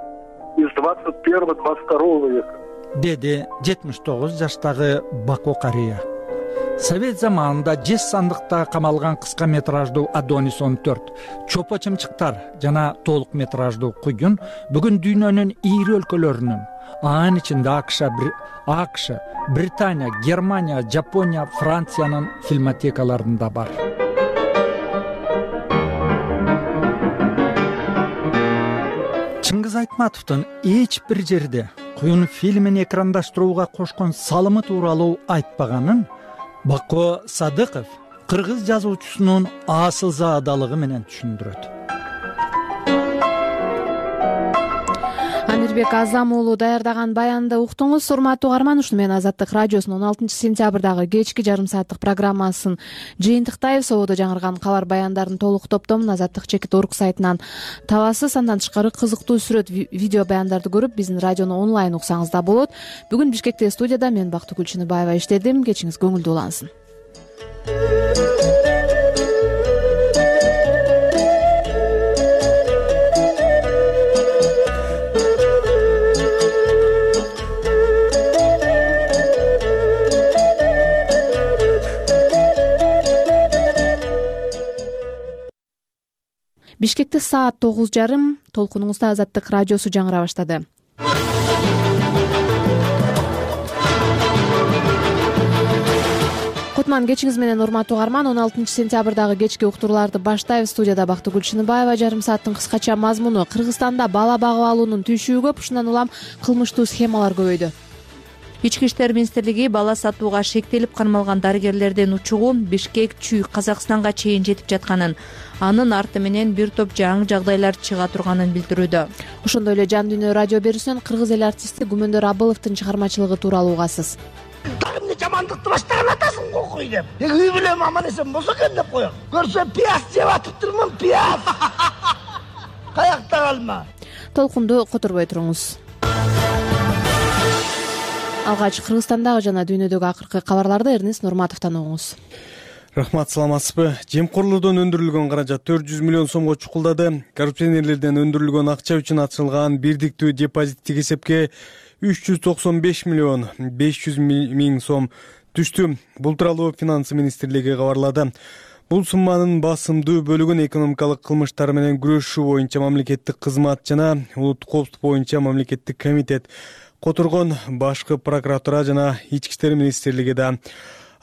из двадцать первого двадцать второго века. Деди жетимиш тогуз жаштагы Бако карыя. Совет заманында жез сандыкта камалган кыска метраждуу Адонис он төрт, Чопо чымчыктар жана толук метраждуу Куюн бүгүн дүйнөнүн ийри өлкөлөрүнүн, анын ичинде АКШ, АКШ, Британия, Германия, Жапония, Франциянын фильмотекаларында бар. Чыңгыз Айтматовдун эч бир жерде Куюн фильмин экрандаштырууга кошкон салымы тууралуу айтпаганын Бако Садыков кыргыз жазуучусунун асылзаадалыгы менен түшүндүрөт. Амир алибек азам уулу даярдаган баянды уктуңуз. Урматтуу угарман, ушуну менен Азаттык радиосунун он алтынчы сентябрдагы кечки жарым сааттык программасын жыйынтыктайбыз. Ободо жаңырган кабар баяндардын толук топтомун Азаттык чекит орг сайтынан табасыз. Андан тышкары кызыктуу сүрөт, видео баяндарды көрүп, биздин радиону онлайн уксаңыз да болот. Бүгүн Бишкекте студияда мен Бактыгүл Чыныбаева иштедим. Кечиңиз көңүлдүү улансын. Бишкекте саат тогуз жарым. Толкунуңузда Азаттык радиосу жаңыра баштады. Кутман кечиңиз менен, урматтуу угарман. он алтынчы сентябрдагы кечки уктурууларды баштайбыз. Студияда Бактыгүл Чыныбаева. Жарым сааттын кыскача мазмуну: Кыргызстанда бала багып алуунун түйшүгү көп, ушундан улам кылмыштуу схемалар көбөйдү. Ички иштер министрлиги бала сатууга шектелип кармалган дарыгерлердин учугу Бишкек, Чүй, Казакстанга чейин жетип жатканын, анын арты менен бир топ жаңы жагдайлар чыга турганын билдирүүдө. Ошондой эле Жан Дүйнө радио берүүсүнөн кыргыз эл артисти Гүмөндөр Абыловдун чыгармачылыгы тууралуу угасыз. Дагы эмне жамандыкты баштаган атасың кокуй деп. Эги үй бүлөм аман эсен болсо экен деп коем. Көрсө пияз жеп атыптырмын, пияз. Каякта калма. Толкунду которбой туруңуз. Алгач Кыргызстандагы жана дүйнөдөгү акыркы кабарларды Эрнест Нурматовдон угуңуз. Рахмат, саламатсызбы? Жемкорлордон өндүрүлгөн каражат төрт жүз миллион сомго чукулдады. Коррупционерлерден өндүрүлгөн акча үчүн ачылган бирдиктүү депозиттик эсепке үч жүз токсон беш миллион беш жүз миң сом түштү. Бул тууралуу Финансы министрлиги кабарлады. Бул сумманын басымдуу бөлүгүн экономикалык кылмыштар менен күрөшүү боюнча мамлекеттик кызмат жана улуттук коопсуздук боюнча мамлекеттик комитет которгон. Башкы прокуратура жана Ички иштер министрлиги да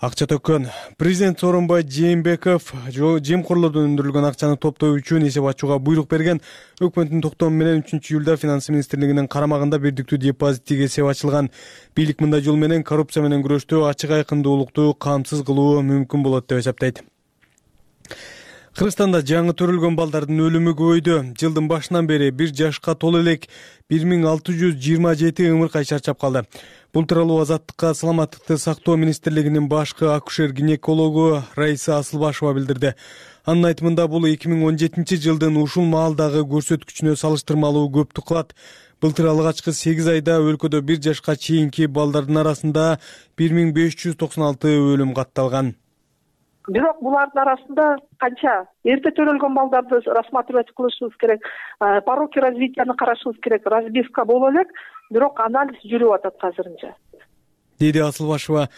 акча төккөн. Президент Сооронбай Жээнбеков жемкорлордон өндүрүлгөн акчаны топтоо үчүн эсеп ачууга буйрук берген. Өкмөттүн токтому менен үчүнчү июлда Финансы министрлигинин карамагында бирдиктүү депозиттик эсеп ачылган. Бийлик мындай жол менен коррупция менен күрөштө ачык айкындуулукту камсыз кылуу мүмкүн болот деп эсептейт. Кыргызстанда жаңы төрөлгөн балдардын өлүмү көбөйдү. Жылдын башынан бери бир жашка толо элек бир миң алты жүз жыйырма жети ымыркай чарчап калды. Бул тууралуу Азаттыкка саламаттыкты сактоо министрлигинин башкы акушер-гинекологу Раиса Асылбашева билдирди. Анын айтымында бул эки миң он жетинчи жылдын ушул маалдагы көрсөткүчүнө салыштырмалуу көптүк кылат. Былтыр алгачкы сегиз айда өлкөдө бир жашка чейинки балдардын арасында бир миң беш жүз токсон алты өлүм катталган. Бирок булардын арасында канча эрте төрөлгөн балдарды рассматривать кылышыбыз керек, пороки развитияны карашыбыз керек, разбивка боло элек, бирок анализ жүрүп атат азырынча, деди Асылбашева.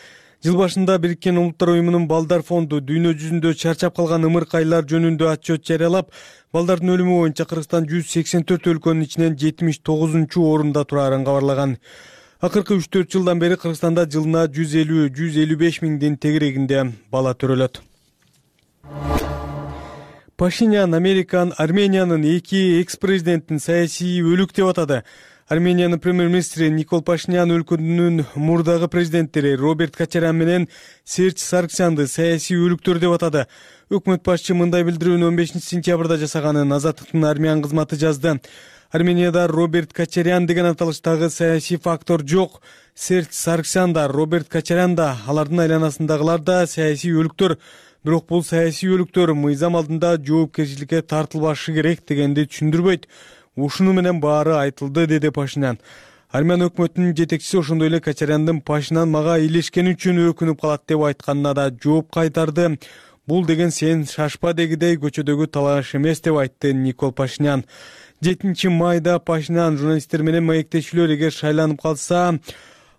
Жыл башында Бириккен Улуттар уюмунун балдар фонду дүйнө жүзүндө чарчап калган ымыркайлар жөнүндө отчет жарыялап, балдардын өлүмү боюнча Кыргызстан жүз сексен төрт өлкөнүн ичинен жетимиш тогузунчу орунда турарын кабарлаган. Акыркы үч төрт жылдан бери Кыргызстанда жылына жүз элүү — жүз элүү беш миңдин тегерегинде бала төрөлөт. Пашинян Американ Армениянын эки экс-президентин саясий өлүк деп атады. Армениянын премьер-министри Никол Пашинян өлкөнүн мурдагы президенттери Роберт Кочарян менен Серж Саргсянды саясий өлүктөр деп атады. Өкмөт башчы мындай билдирүүнү он бешинчи сентябрда жасаганын Азаттыктын Армян кызматы жазды. Арменияда Роберт Кочарян деген аталыштагы саясий фактор жок. Серж Саргсян да, Роберт Кочарян да, алардын айланасындагылар да саясий өлүктөр. Бирок бул саясий өлүктөр мыйзам алдында жоопкерчиликке тартылбашы керек дегенди түшүндүрбөйт. Ушуну менен баары айтылды, деди Пашинян. Армян өкмөтүнүн жетекчиси ошондой эле Кочаряндын Пашинян мага илешкени үчүн өкүнүп калат деп айтканына да жооп кайтарды. Бул деген сен шашпа дегидей көчөдөгү талаш эмес деп айтты Никол Пашинян. жетинчи майда Пашинян журналисттер менен маектешүүлөр эгер шайланып калса,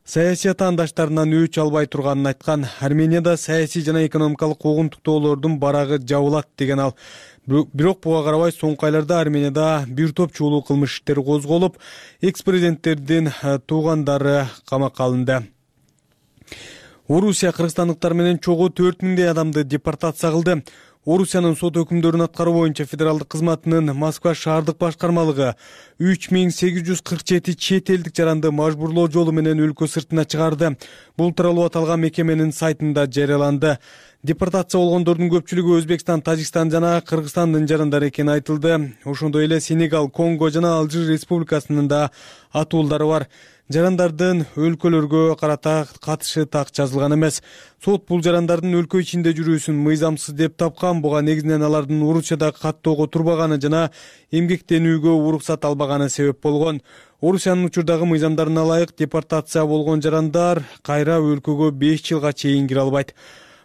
саясий атаандаштарынан өч албай турганын айткан. Арменияда саясий жана экономикалык куугунтуктоолордун барагы жабылат деген ал. Бирок буга карабай соңку айларда Арменияда бир топ чуулуу кылмыш иштери козголуп, экс-президенттердин туугандары камакка алынды. Орусия кыргызстандыктар менен чогуу төрт миңдей адамды депортация кылды. Орусиянын сот өкүмдөрүн аткаруу боюнча федералдык кызматынын Москва шаардык башкармалыгы үч миң сегиз жүз кырк жети чет элдик жаранды мажбурлоо жолу менен өлкө сыртына чыгарды. Бул тууралуу аталган мекеменин сайтында жарыяланды. Депортация болгондордун көпчүлүгү Өзбекстан, Тажикстан жана Кыргызстандын жарандары экени айтылды. Ошондой эле Сенегал, Конго жана Алжир республикасынын да атуулдары бар. Жарандардын өлкөлөргө карата катышы так жазылган эмес. Сот бул жарандардын өлкө ичинде жүрүүсүн мыйзамсыз деп тапкан. Буга негизинен алардын Орусияда каттоого турбаганы жана эмгектенүүгө уруксат албаганы себеп болгон. Орусиянын учурдагы мыйзамдарына ылайык депортация болгон жарандар кайра өлкөгө беш жылга чейин кире албайт.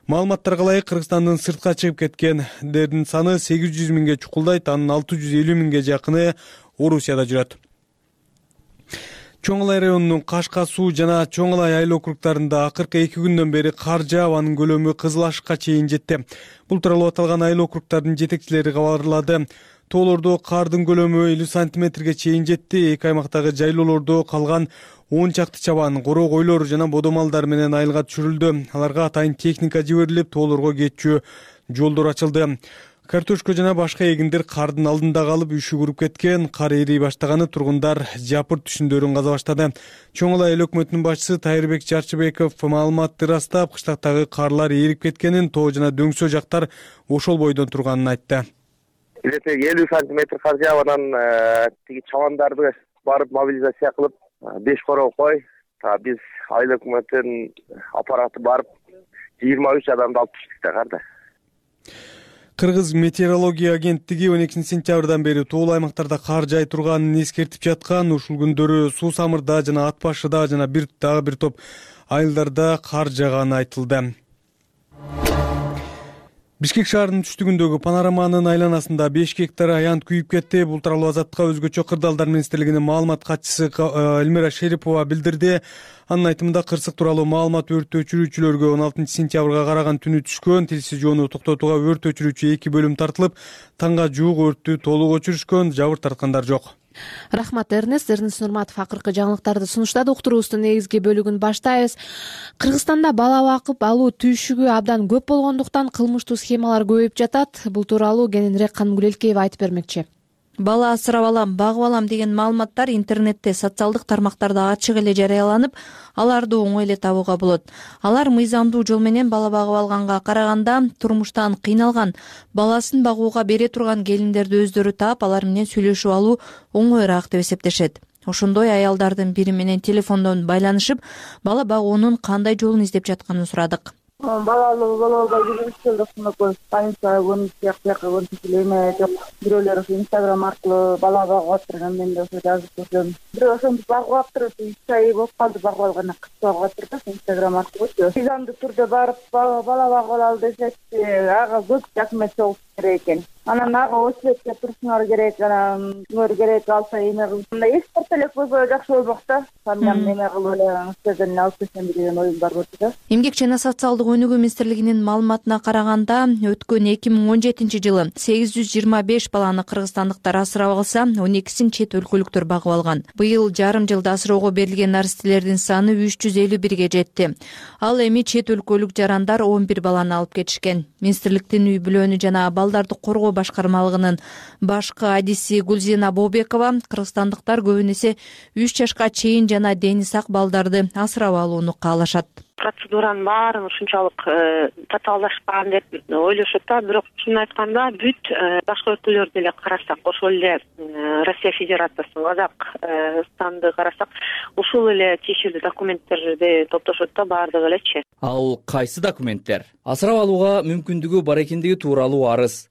Маалыматтарга ылайык Кыргызстандын сыртка чыгып кеткендердин саны сегиз жүз миңге чукулдайт, анын алты жүз элүү миңге жакыны Орусияда жүрөт. Чоң Алай районунун Кашка суу жана Чоң Алай айыл округдарында акыркы эки күндөн бери кар жаап, анын көлөмү Кызыл Ашыкка чейин жетти. Бул тууралуу аталган айыл округдардын жетекчилери кабарлады. Тоолордо кардын көлөмү элүү сантиметрге чейин жетти. Эки аймактагы жайлоолордо калган он чакты чабан, коро койлор жана бодо малдар менен айылга түшүрүлдү. Аларга атайын техника жиберилип, тоолорго кетчү жолдор ачылды. Картошка жана башка эгиндер кардын алдында калып үшүгүрүп кеткен. Кар эрий баштаганы тургундар жапырт түшүндөрүн каза баштады. Чоң Алай эл өкмөтүнүн башчысы Тайырбек Чарчыбеков маалыматты ырастап, кыштактагы карлар эрип кеткенин, тоо жана дөңсө жактар ошол бойдон турганын айтты. элүү сантиметр кар жаап, анан тиги чабандарды барып мобилизация кылып, беш короо кой, биз айыл өкмөтүнүн аппараты барып жыйырма үч адамды алып түштүк да карда. Кыргыз метеорология агенттиги он экинчи сентябрдан бери тоолуу аймактарда кар жай турганын эскертип жаткан. Ушул күндөрү Суу Самырда жана Ат Башыда жана бир дагы бир топ айылдарда кар жааганы айтылды. Бишкек шаарынын түштүгүндөгү панораманын айланасында беш гектар аянт күйүп кетти. Бул тууралуу Азаттыкка өзгөчө кырдаалдар министрлигинин маалымат катчысы Элмира Шерипова билдирди. Анын айтымында кырсык тууралуу маалымат өрт өчүрүүчүлөргө он алтынчы сентябрга караган түнү түшкөн. Тилсиз жоону токтотууга өрт өчүрүүчү эки бөлүм тартылып, таңга жуук өрттү толук өчүрүшкөн, жабыр тарткандар жок. Рахмат Эрнест. Эрнест Нурматов акыркы жаңылыктарды сунуштады. Уктуруубуздун негизги бөлүгүн баштайбыз. Кыргызстанда бала бакып алуу түйшүгү абдан көп болгондуктан кылмыштуу схемалар көбөйүп жатат. Бул тууралуу кененирээк Канымгүл Айткеева айтып бермекчи. Бала асырап алам, багып алам деген маалыматтар интернетте, социалдык тармактарда ачык эле жарыяланып, аларды оңой эле табууга болот. Алар мыйзамдуу жол менен бала багып алганга караганда турмуштан кыйналган, баласын багууга бере турган келиндерди өздөрү таап, алар менен сүйлөшүп алуу оңоюраак деп эсептешет. Ошондой аялдардын бири менен телефондон байланышып, бала багуунун кандай жолун издеп жатканын сурадык. Бала алуу бала албай жүрүп келдик, больница больница жакка больница эме жок. Бирөөлөр ошо Инстаграм аркылуу бала багып атырган, мен да ошо жазып көрдүм. Бирөө ошентип багып аптыр, үч ай болуп калды багып алганда, кыз багып атыр да Инстаграм аркылуучу. Мыйзамдуу түрдө барып бала багып алалы десекчи, ага көп документ чогултуш керек экен. Анан ага очередке турушуңар керек, анан кимдер керек алса эме кылып. Мындай экспорт элек болсо жакшы болмок да. Андан эме кылып эле сиздерден алып келсем деген оюм бар болчу да. Эмгек жана социалдык өнүгүү министрлигинин маалыматына караганда, өткөн эки миң он жетинчи жылы сегиз жүз жыйырма беш баланы кыргызстандыктар асырап алса, он экисин чет өлкөлүктөр багып алган. Быйыл жарым жылда асыроого берилген наристелердин саны үч жүз элүү бирге жетти. Ал эми чет өлкөлүк жарандар он бир баланы алып кетишкен. Министрликтин үй бүлөнү жана балдарды коргоо башкармалыгынын башкы адиси Гүлзина Бобекова кыргызстандыктар көбүн эсе үч жашка чейин жана дени сак балдарды асырап алууну каалашат. Процедуранын баарын ушунчалык татаалашкан деп ойлошот да, бирок чынын айтканда бүт башка өлкөлөрдү эле карасак, ошол эле Россия Федерациясын, Казакстанды карасак, ушул эле тиешелүү документтерди топтошот да, баардыгы элечи. Ал кайсы документтер? Асырап алууга мүмкүндүгү бар экендиги тууралуу арыз,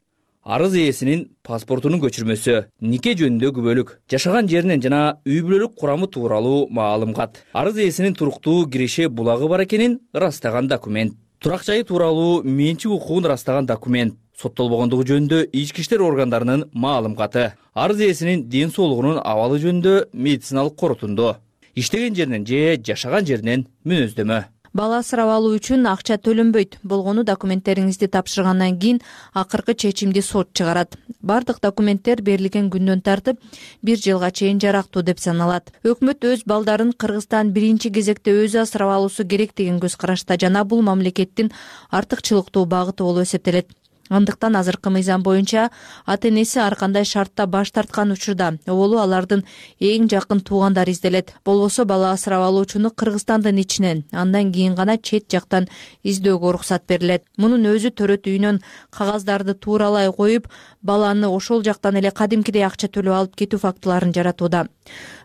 арыз ээсинин паспортунун көчүрмөсү, нике жөнүндөгү бөлүк, жашаган жеринен жана үй бүлөлүк курамы тууралуу маалымат, арыз ээсинин туруктуу киреше булагы бар экенин ырастаган документ, турак жайы тууралуу менчик укугун ырастаган документ, соттолбогондугу жөнүндө ички иштер органдарынын маалыматы, арыз ээсинин ден соолугунун абалы жөнүндө медициналык корутунду, иштеген жеринен же жашаган жеринен мүнөздөмө. Бала асырап алуу үчүн акча төлөнбөйт болгону документтериңизди тапшыргандан кийин акыркы чечимди сот чыгарат. Бардык документтер берилген күндөн тартып бир жылга чейин жарактуу деп саналат. Өкмөт өз балдарын Кыргызстан биринчи кезекте өзү асырап алуусу керек деген көз карашта жана бул мамлекеттин артыкчылыктуу багыты болуп эсептелет. андыктан азыркы мыйзам боюнча ата энеси ар кандай шартта баш тарткан учурда оболу алардын эң жакын туугандары изделет. Болбосо бала асырап алуучуну Кыргызстандын ичинен, андан кийин гана чет жактан издөөгө уруксат берилет. Мунун өзү төрөт үйүнөн кагаздарды тууралай коюп, баланы ошол жактан эле кадимкидей акча төлөп алып кетүү фактыларын жаратууда.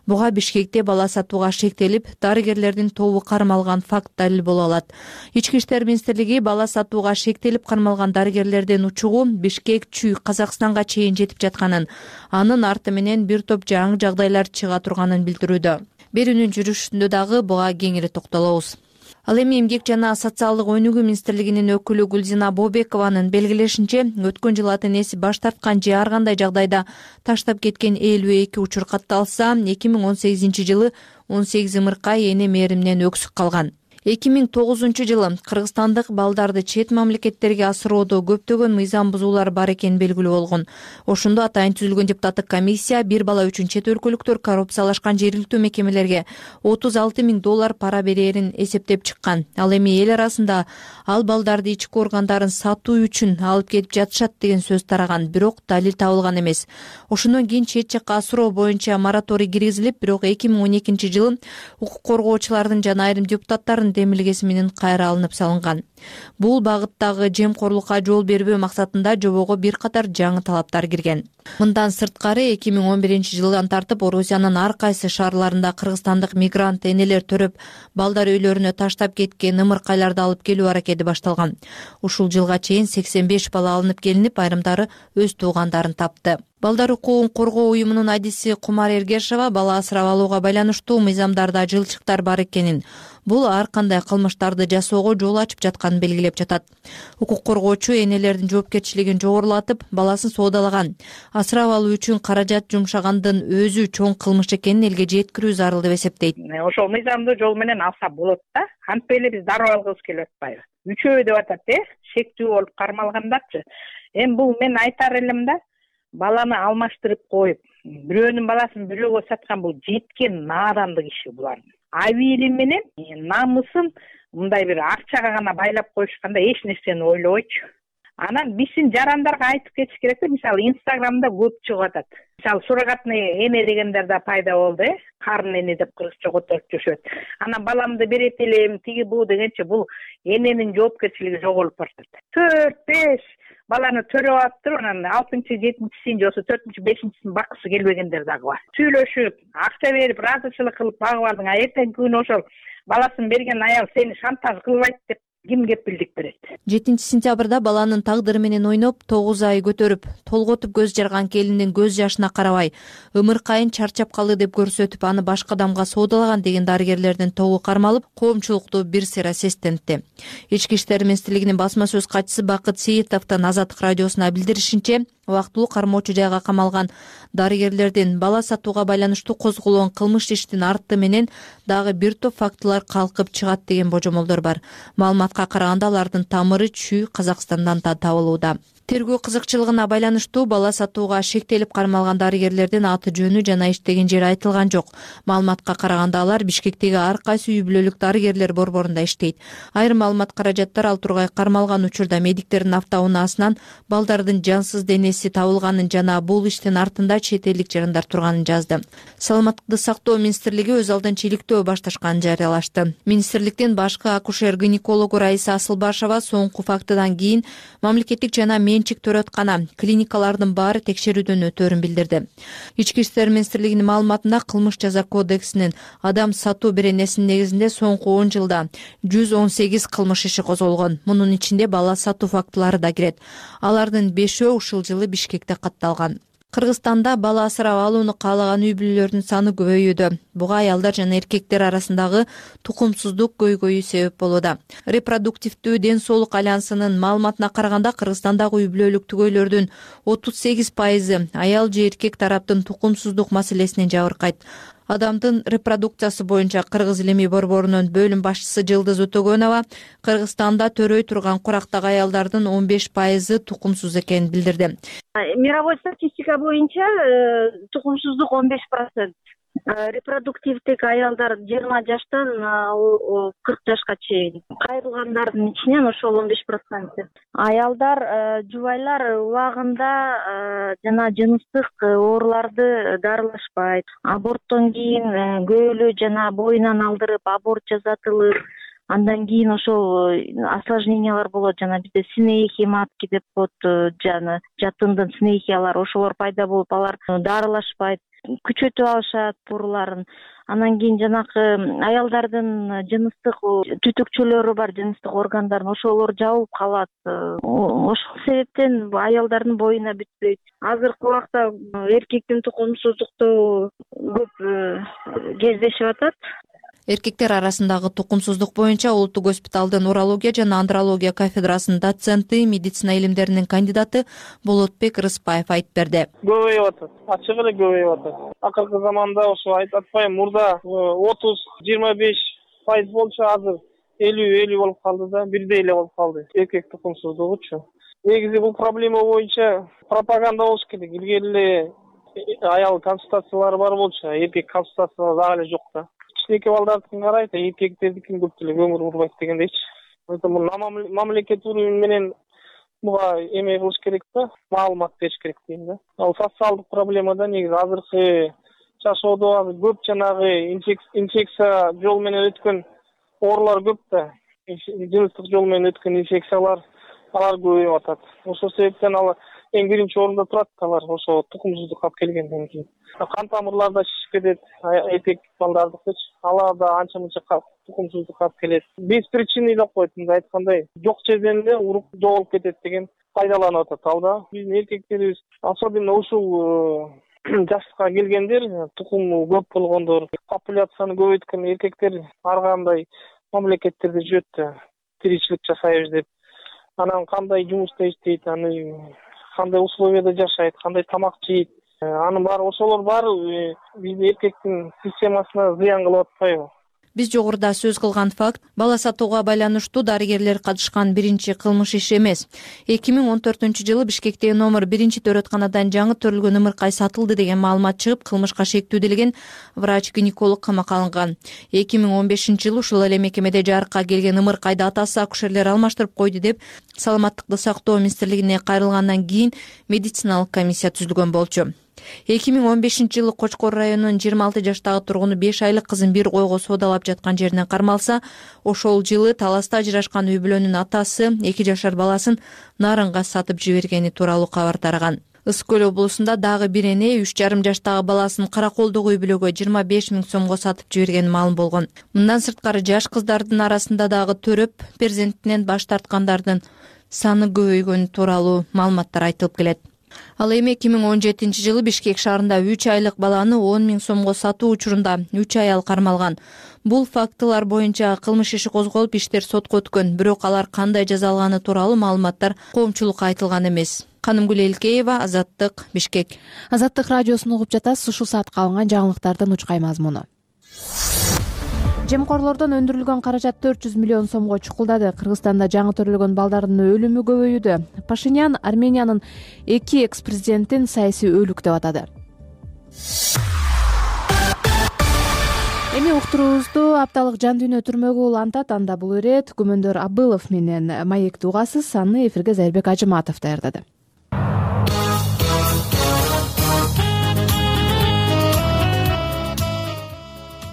Буга Бишкекте бала сатууга шектелип, дарыгерлердин тобу кармалган факт далил боло алат. Ички иштер министрлиги бала сатууга шектелип кармалган дарыгерлердин учугу Бишкек Чүй Казакстанга чейин жетип жатканын, анын арты менен бир топ жаңы жагдайлар чыга турганын билдирүүдө. Берүүнүн жүрүшүндө дагы буга кеңири токтолобуз. Ал эми эмгек жана социалдык өнүгүү министрлигинин өкүлү Гүлзина Бобекованын белгилешинче, өткөн жылы ата энеси баш тарткан же ар кандай жагдайда таштап кеткен элүү эки учур катталса, эки миң он сегизинчи жылы он сегиз ымыркай эне мээриминен өксүк калган. эки миң тогузунчу жылы кыргызстандык балдарды чет мамлекеттерге асыроодо көптөгөн мыйзам бузуулар бар экени белгилүү болгон. Ошондо атайын түзүлгөн депутаттык комиссия бир бала үчүн чет өлкөлүктөр коррупциялашкан жергиликтүү мекемелерге отуз алты миң доллар пара берээрин эсептеп чыккан. Ал эми эл арасында ал балдарды ички органдарын сатуу үчүн алып кетип жатышат деген сөз тараган, бирок далил табылган эмес. Ошондон кийин чет жакка асыроо боюнча мораторий киргизилип, бирок эки миң он экинчи жылы укук коргоочулардын жана айрым депутаттардын демилгеси менен кайра алынып салынган. Бул багыттагы жемкорлукка жол бербөө максатында жобого бир катар жаңы талаптар кирген. Мындан сырткары эки миң он биринчи жылдан тартып Орусиянын ар кайсы шаарларында кыргызстандык мигрант энелер төрөп балдар үйлөрүнө таштап кеткен ымыркайларды алып келүү аракети башталган. Ушул жылга чейин сексен беш бала алынып келинип, айрымдары өз туугандарын тапты. Балдар укугун коргоо уюмунун адиси Кумар Эргешова бала асырап алууга байланыштуу мыйзамдарда жылчыктар бар экенин, бул ар кандай кылмыштарды жасоого жол ачып жатканын белгилеп жатат. Укук коргоочу энелердин жоопкерчилигин жогорулатып, баласын соодалаган, асырап алуу үчүн каражат жумшагандын өзү чоң кылмыш экенин элге жеткирүү зарыл деп эсептейт. Ошол мыйзамды жол менен алса болот да. Антип эле биз дароо алгыбыз келип атпайбы? Үчөө деп атат, э? Шектүү болуп кармалгандарчы. Эми бул мен айтар элем да, баланы алмаштырып коюп, бирөөнүн баласын бирөөгө саткан бул жеткен наадандык иши булардын. Абийли менен намысын мындай бир акчага гана байлап коюшканда эч нерсени ойлобойчу. Анан биздин жарандарга айтып кетиш керек да, мисалы Инстаграмда көп чыгып атат. Мисалы суррогатный эне дегендер да пайда болду, э? Карын эне деп кыргызча которуп жүрүшөт. Анан баламды берет элем, тиги бу дегенче бул эненин жоопкерчилиги жоголуп баратат. төрт беш баланы төрөп алыптыр, анан алтынчы, жетинчисин же болбосо төртүнчү, бешинчисин баккысы келбегендер дагы бар. Сүйлөшүп, акча берип, ыраазычылык кылып багып алдың, а эртеңки күнү ошол баласын берген аял сени шантаж кылбайт деп ким кепилдик берет? жетинчи сентябрда баланын тагдыры менен ойноп, тогуз ай көтөрүп, толготуп көз жарган келиндин көз жашына карабай, ымыркайын чарчап калды деп көрсөтүп, аны башка адамга соодалаган деген дарыгерлердин тобу кармалып, коомчулукту бир сыйра сестентти. Ички иштер министрлигинин басма сөз катчысы Бакыт Сейитовдун Азаттык радиосуна билдиришинче, убактылуу кармоочу жайга камалган дарыгерлердин бала сатууга байланыштуу козголгон кылмыш иштин арты менен дагы бир топ фактылар калкып чыгат деген божомолдор бар. Маалыматка караганда алардын тамыры Чүй Казакстандан да табылууда. Тергөө кызыкчылыгына байланыштуу бала сатууга шектелип кармалган дарыгерлердин аты жөнү жана иштеген жери айтылган жок. Маалыматка караганда алар Бишкектеги ар кайсы үй бүлөлүк дарыгерлер борборунда иштейт. Айрым маалымат каражаттар ал тургай кармалган учурда медиктердин автоунаасынан балдардын жансыз денеси табылганын жана бул иштин артында чет элдик жарандар турганын жазды. Саламаттыкты сактоо министрлиги өз алдынча иликтөө башташканын жарыялашты. Министрликтин башкы акушер-гинекологу Раиса Асылбашева соңку фактыдан кийин мамлекеттик жана менчик төрөткана клиникалардын баары текшерүүдөн өтөөрүн билдирди. Ички иштер министрлигинин маалыматында кылмыш жаза кодексинин адам сатуу беренесинин негизинде соңку он жылда жүз он сегиз кылмыш иши козголгон. Мунун ичинде бала сатуу фактылары да кирет. Алардын бешөө ушул жылы Бишкекте катталган. Кыргызстанда бала асырап алууну каалаган үй бүлөлөрдүн саны көбөйүүдө. Буга аялдар жана эркектер арасындагы тукумсуздук көйгөйү себеп болууда. Репродуктивдүү ден соолук альянсынын маалыматына караганда Кыргызстандагы үй бүлөлүк түгөйлөрдүн отуз сегиз пайызы аял же эркек тараптын тукумсуздук маселесинен жабыркайт. Адамдын репродукциясы боюнча Кыргыз илимий борборунун бөлүм башчысы Жылдыз Өтөгөнова Кыргызстанда төрөй турган курактагы аялдардын он беш пайызы тукумсуз экенин билдирди. Мировой статистика боюнча тукумсуздук он беш процент. репродуктивдик аялдар жыйырма жаштан кырк жашка чейин, кайрылгандардын ичинен ошол он беш проценти. Аялдар, жубайлар убагында жана жыныстык ооруларды дарылашпайт. Аборттон кийин көөлү жана боюнан алдырып аборт жасатылып, андан кийин ошол осложнениялар болот, жана бизде снехи матки деп коет, жана жатындын снехиялары, ошолор пайда болуп, алар дарылашпайт, күчөтүп алышат ооруларын. Анан кийин жанакы аялдардын жыныстык түтүкчөлөрү бар, жыныстык органдарын, ошолор жабылып калат. Ошол себептен аялдардын боюна бүтпөйт. Азыркы убакта эркектин тукумсуздукту көп кездешип атат. Эркектер арасындагы тукумсуздук боюнча Улуттук госпиталдын урология жана андрология кафедрасынын доценти, медицина илимдеринин кандидаты Болотбек Рыспаев айтып берди. Көбөйүп атат, ачык эле көбөйүп атат. Акыркы заманда ошо айтып атпайм, мурда отуз жыйырма беш пайыз болчу, азыр элүү элүү болуп калды да, бирдей эле болуп калды эркек тукумсуздугучу. Негизи бул проблема боюнча пропаганда болуш керек. Илгери эле аял консультациялары бар болчу, эркек консультациялары дагы эле жок да. Кичинекей балдардыкын карайт, эркектердикин көп деле көңүл бурбайт дегендейчи. Поэтому мамлекет уровень менен буга эме кылыш керек да, маалымат бериш керек дейм да. Ал социалдык проблемада негизи азыркы жашоодо азыр көп жанагы инфекция жол менен өткөн оорулар көп да. Жыныстык жол менен өткөн инфекциялар, алар көбөйүп атат. Ошол себептен алар эң биринчи орунда турат, алар ошо тукумсуздук алып келгенден кийин. Кан тамырларда шишип кетет, эркек балдардыкычы, алар да анча мынча тукумсуздук алып келет. Без причины деп коет, мындай айткандай, жок жерден эле уруп жоголуп кетет деген пайдаланып атат ал да. Биздин эркектерибиз, особенно ушул жашка келгендер, тукуму көп болгондор, популяцияны көбөйткөн эркектер ар кандай мамлекеттерде жүрөт да, тиричилик жасайбыз деп. Анан кандай жумушта иштейт, аны кандай условияда жашайт, кандай тамак жейт, анын баары, ошолор баары биздин эркектин системасына зыян кылып атпайбы? Биз жогоруда сөз кылган факт бала сатууга байланыштуу дарыгерлер катышкан биринчи кылмыш иш эмес. эки миң он төртүнчү жылы Бишкектеги номер биринчи төрөтканадан жаңы төрөлгөн ымыркай сатылды деген маалымат чыгып, кылмышка шектүүделген врач-гинеколог камакка алынган. эки миң он бешинчи жылы ушул эле мекемеде жарыкка келген ымыркайды атасы акушерлер алмаштырып койду деп Саламаттыкты сактоо министрлигине кайрылгандан кийин медициналык комиссия түзүлгөн болчу. эки миң он бешинчи жылы Кочкор районунун жыйырма алты жаштагы тургуну беш айлык кызын бир койго соодалап жаткан жеринен кармалса, ошол жылы таласта ажырашкан үй бүлөнүн атасы эки жашар баласын нарынга сатып жибергени тууралуу кабар тараган. Ысык Көл облусунда дагы бир эне үч жарым жаштагы баласын Караколдогу үй бүлөгө жыйырма беш миң сомго сатып жибергени маалым болгон. Мындан сырткары жаш кыздардын арасында дагы төрөп перзентинен баш тарткандардын саны көбөйгөнү тууралуу маалыматтар айтылып келет. Ал эми эки миң он жетинчи жылы Бишкек шаарында үч айлык баланы он миң сомго сатуу учурунда үч аял кармалган. Бул фактылар боюнча кылмыш иши козголуп, иштер сотко өткөн, бирок алар кандай жаза алганы тууралуу маалыматтар коомчулукка айтылган эмес. Канымгүл Элкеева, Азаттык, Бишкек. Азаттык радиосун угуп жатасыз. Ушул саатка алынган жаңылыктардын учкай мазмуну. Жемкорлордон өндүрүлгөн каражат төрт жүз миллион сомго чукулдады. Кыргызстанда жаңы төрөлгөн балдардын өлүмү көбөйүүдө. Пашинян Армениянын эки экс-президентин саясий өлүк деп атады. Эми уктуруубузду апталык жан дүйнө түрмөгү улантат. Анда бул ирет Күмөндөр Абылов менен маекти угасыз. Аны эфирге Зайырбек Ажыматов даярдады.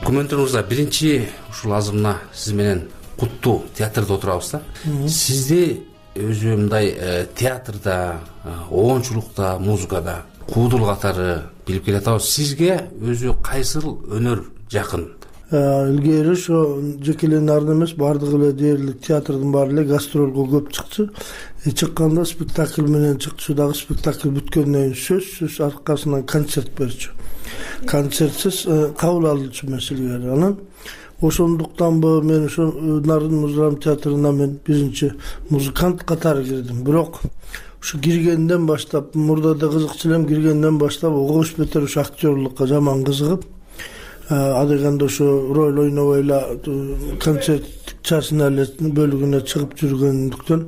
Күмөндөр мырза, биринчи ушул азырына сиз менен куттуу театрда отурабыз да. Сизди өзү мындай театрда, оончулукта, музыкада куудул катары билип келатабыз. Сизге өзү кайсыл өнөр жакын? Илгери ошо жекелен эмес, баардыгы эле дээрлик театрдын баары эле гастролго көп чыкчу. Чыкканда спектакль менен чыкчу, дагы спектакль бүткөндөн кийин сөзсүз аркасынан концерт берчү. Концертсиз кабыл алуучу маселе. Анан ошондуктанбы мен ошо Нарын музыка театрына мен биринчи музыкант катары кирдим. Бирок ушу киргенден баштап, мурда да кызыкчу элем, киргенден баштап огуш бетер ушу актерлукка жаман кызыгып, адегенде ошо роль ойнобой эле концерт часына эле бөлүгүнө чыгып жүргөндүктөн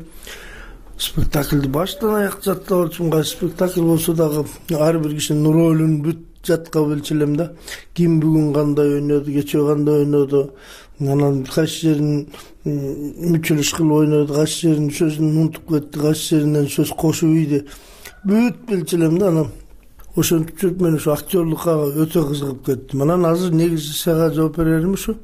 спектакльди баштан аяк жаттап алчумун. Кайсы спектакль болсо дагы ар бир кишинин ролун бүт жатка билчү элем да. Ким бүгүн кандай ойноду, кечээ кандай ойноду, анан кайсы жерин мүчүлүш кылып ойноду, кайсы жерин сөзүн унутуп кетти, кайсы жеринен сөз кошуп ийди. Бүт билчү элем да. Анан ошентип жүрүп мен ушу актерлукка өтө кызыгып кеттим. Анан азыр негизи сага жооп берерим ушу.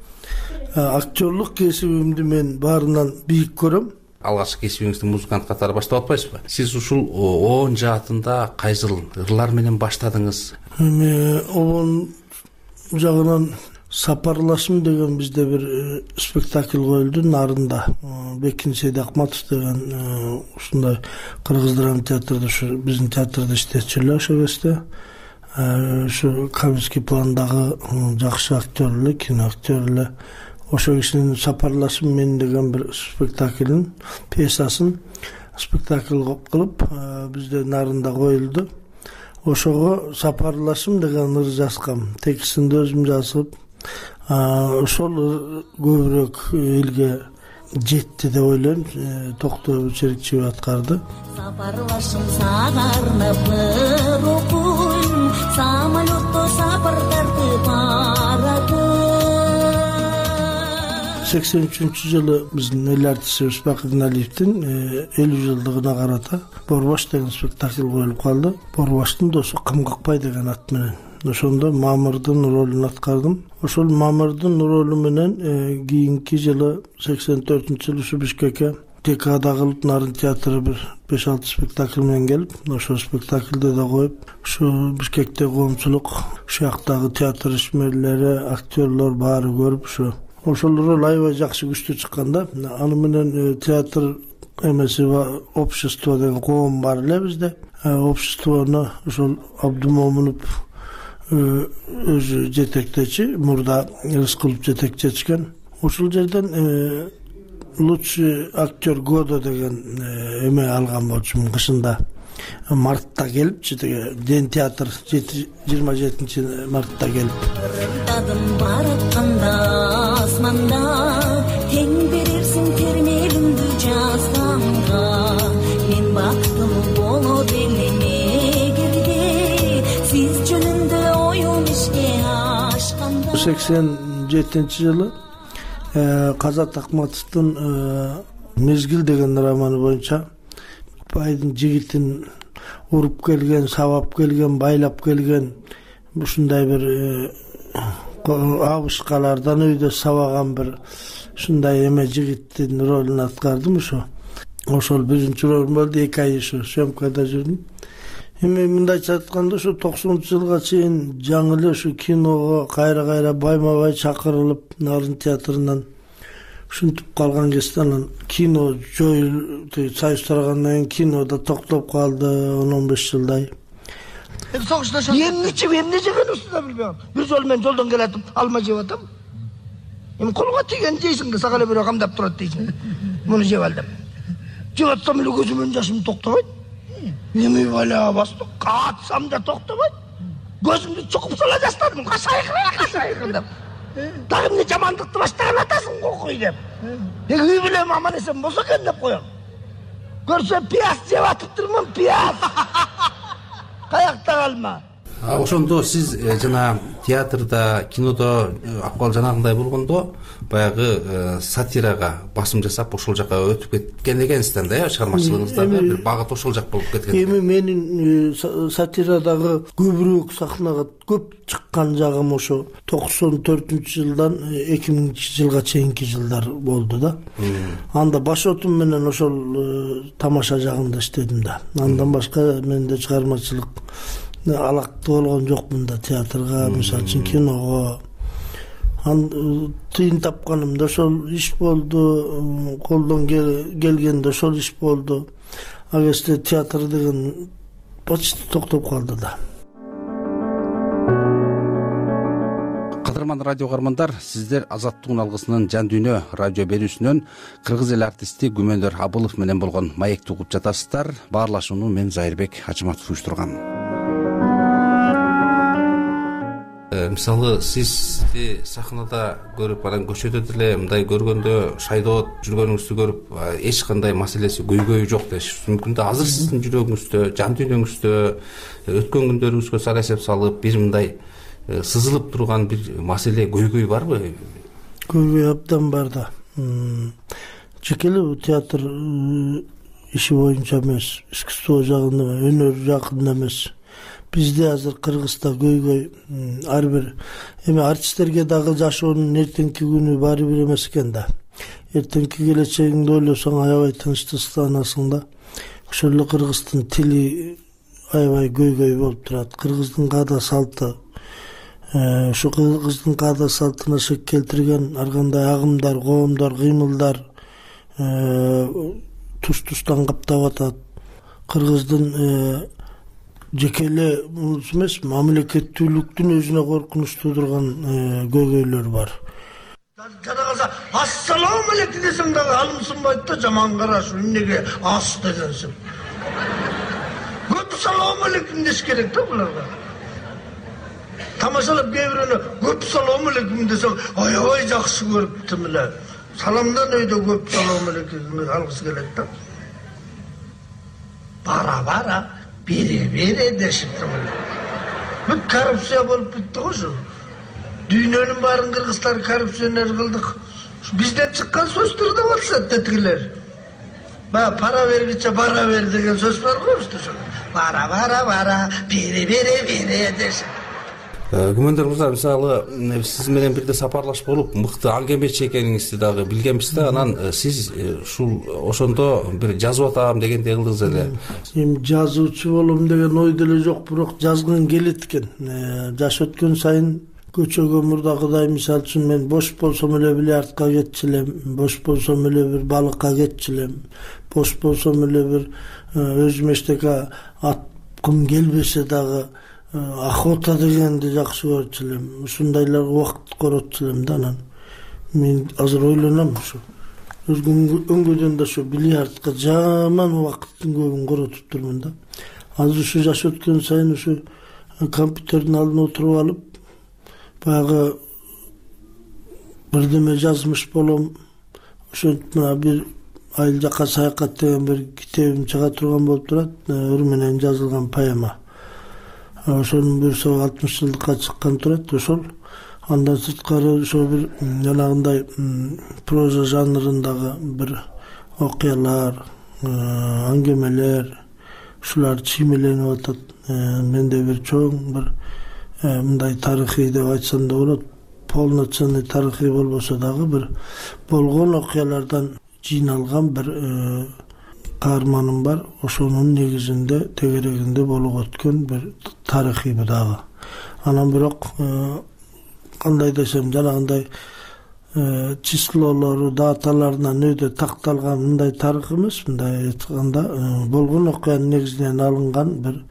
Актерлук кесибимди мен баарынан бийик көрөм. Алгачкы кесибиңизди музыкант катары баштап атпайсызбы? Сиз ушул он жаатында кайсыл ырлар менен баштадыңыз? Эми обон жагынан Сапарлашым деген бизде бир спектакль коюлду нарында. Бекин Сейдакматов деген ушундай кыргыз драма театрында, ушу биздин театрда иштечү эле ошол кезде. Ушу коммерческий пландагы жакшы актер эле, кино актер эле. Ошол кишинин Сапарлашым мен деген бир спектаклин, пьесасын спектакль кылып бизде нарында коюлду. Ошого Сапарлашым деген ыр жазгам. Текстин өзүм жазып, ошол көбүрөөк элге жетти деп ойлойм. Токто Черикчиев аткарды. Сапарлашым сагарнып окуйм, самолетто сапар тартып баратым. сексен үчүнчү жылы биздин эл артисибиз Бакытын Алиевдин элүү жылдыгына карата Борбаш деген спектакль коюлуп калды. Борбаштын досу Кым Какпай деген ат менен. Ошондо Мамырдын ролун аткардым. Ошол Мамырдын ролу менен кийинки жылы сексен төртүнчү жылы ушу Бишкекке Декада кылып Нарын театры бир беш алты спектакль менен келип, ошол спектакльде да коюп, ушу Бишкекте коомчулук, ушул жактагы театр ишмерлери, актерлор баары көрүп, ушу ошол роль аябай жакшы күчтүү чыккан да. Аны менен театр эмеси общество деген коом бар эле бизде. Обществону ошол Абдумомунов өзү жетектечи, мурда Рыскулов жетекчечкен. Ошол жерден лучший актер года деген эме алган болчумун кышында. Мартта келипчи, Ден театр жыйырма жетинчи мартта келип. Ырымдадым баратканда асманда, тең берерсиң термелимди жазганга. Мен бактым болот элем эгерде, сиз жөнүндө оюм ишке ашканда. сексен жетинчи жылы Казат Акматовдун Мезгил деген романы боюнча байдын жигитин уруп келген, сабап келген, байлап келген ушундай бир абышкалардан өйдө сабаган бир ушундай эме жигиттин ролун аткардым. Ошо ошол биринчи роль болду. эки ай ушу съемкада жүрдүм. Эми мындайча айтканда ушу токсонунчу жылга чейин жаңы эле ушу киного кайра кайра байма бай чакырылып Нарын театрынан ушинтип калган кезде анан кино жоюлуп, союз тарагандан кийин кино да токтоп калды он он беш жылдай. Эмне жеп, эмне жегенибизди да билбейм. Бир жолу мен жолдон келатып, алма жеп атам. Эми колго тийген жейсиң да сага эле бирөө камдап турат дейсиң. Муну жеп ал деп. Жеп атсам эле көзүмөн жашым токтобойт. Эми бала бастык, катсам да токтобойт. Көзүмдү чукуп сала жастадым, кашайкыра, кашайкыра деп. Дагы эмне жамандыкты баштаган атасың кокуй деп. Эги үй бүлөм аман эсен болсо экен деп коем. Көрсө пияз жеп атыптырмын, пияз. Каякта калма. Ошондо сиз жана театрда, кинодо акыбал жанагындай болгондо баягы сатирага басым жасап ошол жака өтүп кеткен экенсиз да, чыгармачылыгыңызда бир багыт ошол жак болуп кеткен. Эми менин сатирадагы көбүрөөк сахнага көп чыккан жагым ошо токсон төртүнчү жылдан эки миңинчи жылга чейинки жылдар болду да. Анда башотум менен ошол тамаша жагында иштедим да. Андан башка менде чыгармачылык алакты болгон жокмун да театрга, мисалы үчүн киного. Тыйын тапканымда ошол иш болду, колдон келгенде ошол иш болду. А кезде театр деген почти токтоп калды да. Кадырман радио каармандар, сиздер Азаттыктын алгысынын Жан дүйнө радио берүүсүнөн кыргыз эл артисти Күмөндөр Абылов менен болгон маекти угуп жатасыздар. Баарлашууну мен Зайырбек Ачыматов уюштургам. мисалы сизди сахнада көрүп анан көчөдө деле мындай көргөндө шайдоот жүргөнүңүздү көрүп эч кандай маселеси көйгөйү жок дешибиз мүмкүн да. Азыр сиздин жүрөгүңүздө, жан дүйнөңүздө өткөн күндөрүңүзгө сара эсеп салып бир мындай сызылып турган бир маселе, көйгөй барбы? Көйгөй абдан бар да. Жеке эле театр иши боюнча эмес, искусство жагында, өнөр жагында эмес. Бизде азыр Кыргызда көйгөй ар бир эми артисттерге дагы жашоонун эртеңки күнү баары бир эмес экен да. Эртеңки келечегиңди ойлосоң аябай тынчтыксызданасың да. Ошол эле кыргыздын тили аябай көйгөй болуп турат. Кыргыздын каада салты, ушу кыргыздын каада салтына шек келтирген ар кандай агымдар, коомдор, кыймылдар туш-туштан каптап атат. Кыргыздын жеке эле эмес, мамлекеттүүлүктүн өзүнө коркунуч туудурган көйгөйлөр бар. Жана калса ассалам алейкум десең дагы алымсынбайт да, жаман караш, эмнеге ас дегенсиң. Көп салам алейкум деш керек да буларга. Тамашалап кээ бирөөнө көп салам алейкум десең, аябай жакшы көрүптүм эле. Саламдан өйдө көп салам алейкум алгысы келет да. Бара-бара бере-бере дешиптим эле. Бүт коррупция болуп бүттү го ушу. Дүйнөнүн баарын кыргыздар коррупционер кылдык. Бизден чыккан сөздөр да болсо тетигилер. Баягы пара бергиче бара бер деген сөз бар го бизде ошо. Бара-бара-бара, бере-бере-бере дешип. Күмөндөр мырза, мисалы сиз менен бирде сапарлашып болуп мыкты аңгемечи экениңизди дагы билгенбиз да. Анан сиз ушул ошондо бир жазып атам дегендей кылдыңыз эле. Эми жазуучу болом деген ой деле жок, бирок жазгым келет экен. Жаш өткөн сайын көчөгө мурдагыдай, мисалы үчүн мен бош болсом эле бильярдка кетчү элем, бош болсом эле бир балыкка кетчү элем, бош болсом эле бир өзүм эчтеке аткым келбесе дагы охота дегенди жакшы көрчү элем. Ушундайларга убакыт коротчу элем да. Анан мен азыр ойлоном ушу өңгөдөн да ушу бильярдка жаман убакыттын көбүн коротуп турмун да. Азыр ушу жаш өткөн сайын ушу компьютердин алдына отуруп алып баягы бирдеме жазмыш болом. Ошентип мына бир айыл жака саякат деген бир китебим чыга турган болуп турат, ыр менен жазылган поэма. Ошонун бир соо алтымыш жылдыкка чыккан турат ошол. Андан сырткары ошо бир жанагындай проза жанрындагы бир окуялар, аңгемелер, ушулар чиймеленип атат. Менде бир чоң бир мындай тарыхый деп айтсам да болот. Полноценный тарыхый болбосо дагы бир болгон окуялардан жыйналган бир каарманым бар. Ошонун негизинде тегерегинде болуп өткөн бир тарыхый дагы. Анан бирок кандай десем, жанагындай числолору, даталарынан өйдө такталган мындай тарых эмес, мындай айтканда болгон окуянын негизинен алынган бир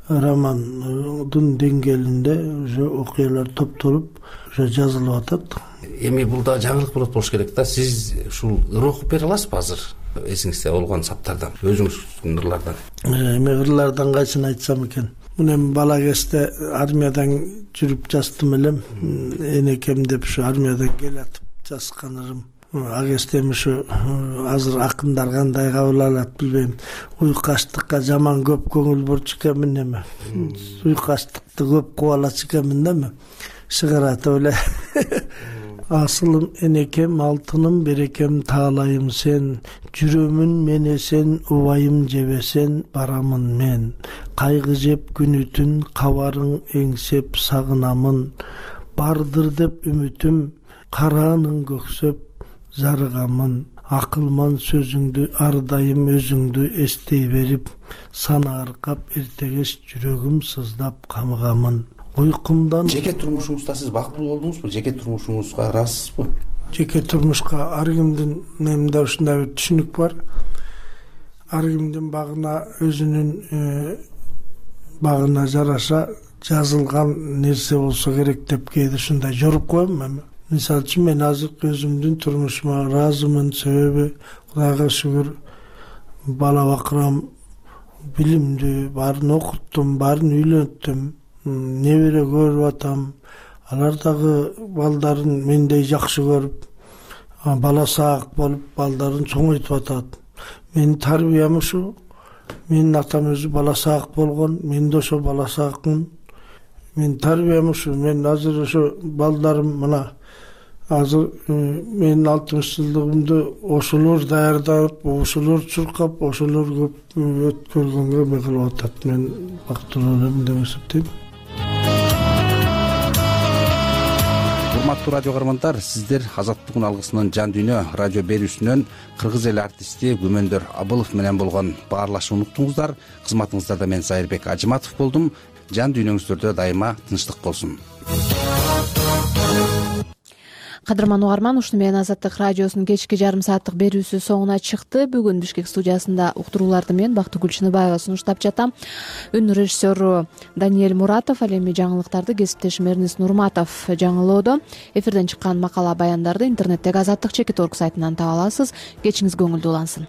романдын деңгээлинде уже окуялар топтолуп уже жазылып атат. Эми бул да жаңылык болот болуш керек да. Сиз ушул ыр окуп бере аласызбы азыр? Эсиңизде болгон саптардан, өзүңүздүн ырлардан. Эми ырлардан кайсын айтсам экен? Мен бала кезде армиядан жүрүп жаздым элем. Энекем деп ушу армиядан келатып жазган ырым. А кезде ушу азыр акындар кандай кабыл алат билбейм. Уйкаштыкка жаман көп көңүл бурчу экенмин эми. Уйкаштыкты көп кубалачу экенмин да эми. Шыгаратып эле. Асылым энекем, алтыным берекем таалайым сен, жүрөмүн мен эсен, убайым жебесен барамын мен. Кайгы жеп күнү түн, кабарың эңсеп сагынамын. Бардыр деп үмүтүм, караанын көксөп зарыгамын. Акылман сөзүңдү ар дайым өзүңдү эстей берип, сана аркап эртегеш жүрөгүм сыздап камыгамын. Уйкумдан жеке турмушуңузда сиз бактылуу болдуңузбу? Жеке турмушуңузга ыраазсызбы? Жеке турмушка ар кимдин менде ушундай бир түшүнүк бар. Ар кимдин багына өзүнүн багына жараша жазылган нерсе болсо керек деп кээде ушундай жоруп коем эми. Мисалы үчүн мен азыркы өзүмдүн турмушума ыраазымын. Себеби Кудайга шүгүр бала бакырам, билимдүү, баарын окуттум, баарын үйлөнттүм. Небере көрүп атам, алар дагы балдарын мендей жакшы көрүп, бала саак болуп, балдарын чоңойтуп атат. Менин тарбиям ушу. Менин атам өзү бала саак болгон, мен да ошо бала саакмын. Менин тарбиям ушу. Мен азыр ошо балдарым мына азыр менин алтымыш жылдыгымды ошолор даярдап, ошолор чуркап, ошолор көп өткөргөнгө эме кылып атат. Мен бактылуу элем деп эсептейм. Урматтуу радио каармандар, сиздер Азаттыктын алгысынын жан дүйнө радио берүүсүнөн кыргыз эл артисти Күмөндөр Абылов менен болгон баарлашууну уктуңуздар. Кызматыңыздарда мен Сайырбек Ажыматов болдум. Жан дүйнөңүздөрдө дайыма тынчтык болсун. Кадырман угарман, ушуну менен Азаттык радиосунун кечки жарым сааттык берүүсү соңуна чыкты. Бүгүн Бишкек студиясында уктурууларды мен Бактыгүл Чыныбаева сунуштап жатам. Үн режиссеру Даниэль Муратов, ал эми жаңылыктарды кесиптешим Эрнис Нурматов жаңылоодо. Эфирден чыккан макала баяндарды интернеттеги Азаттык чекит орг сайтынан таба аласыз. Кечиңиз көңүлдүү улансын.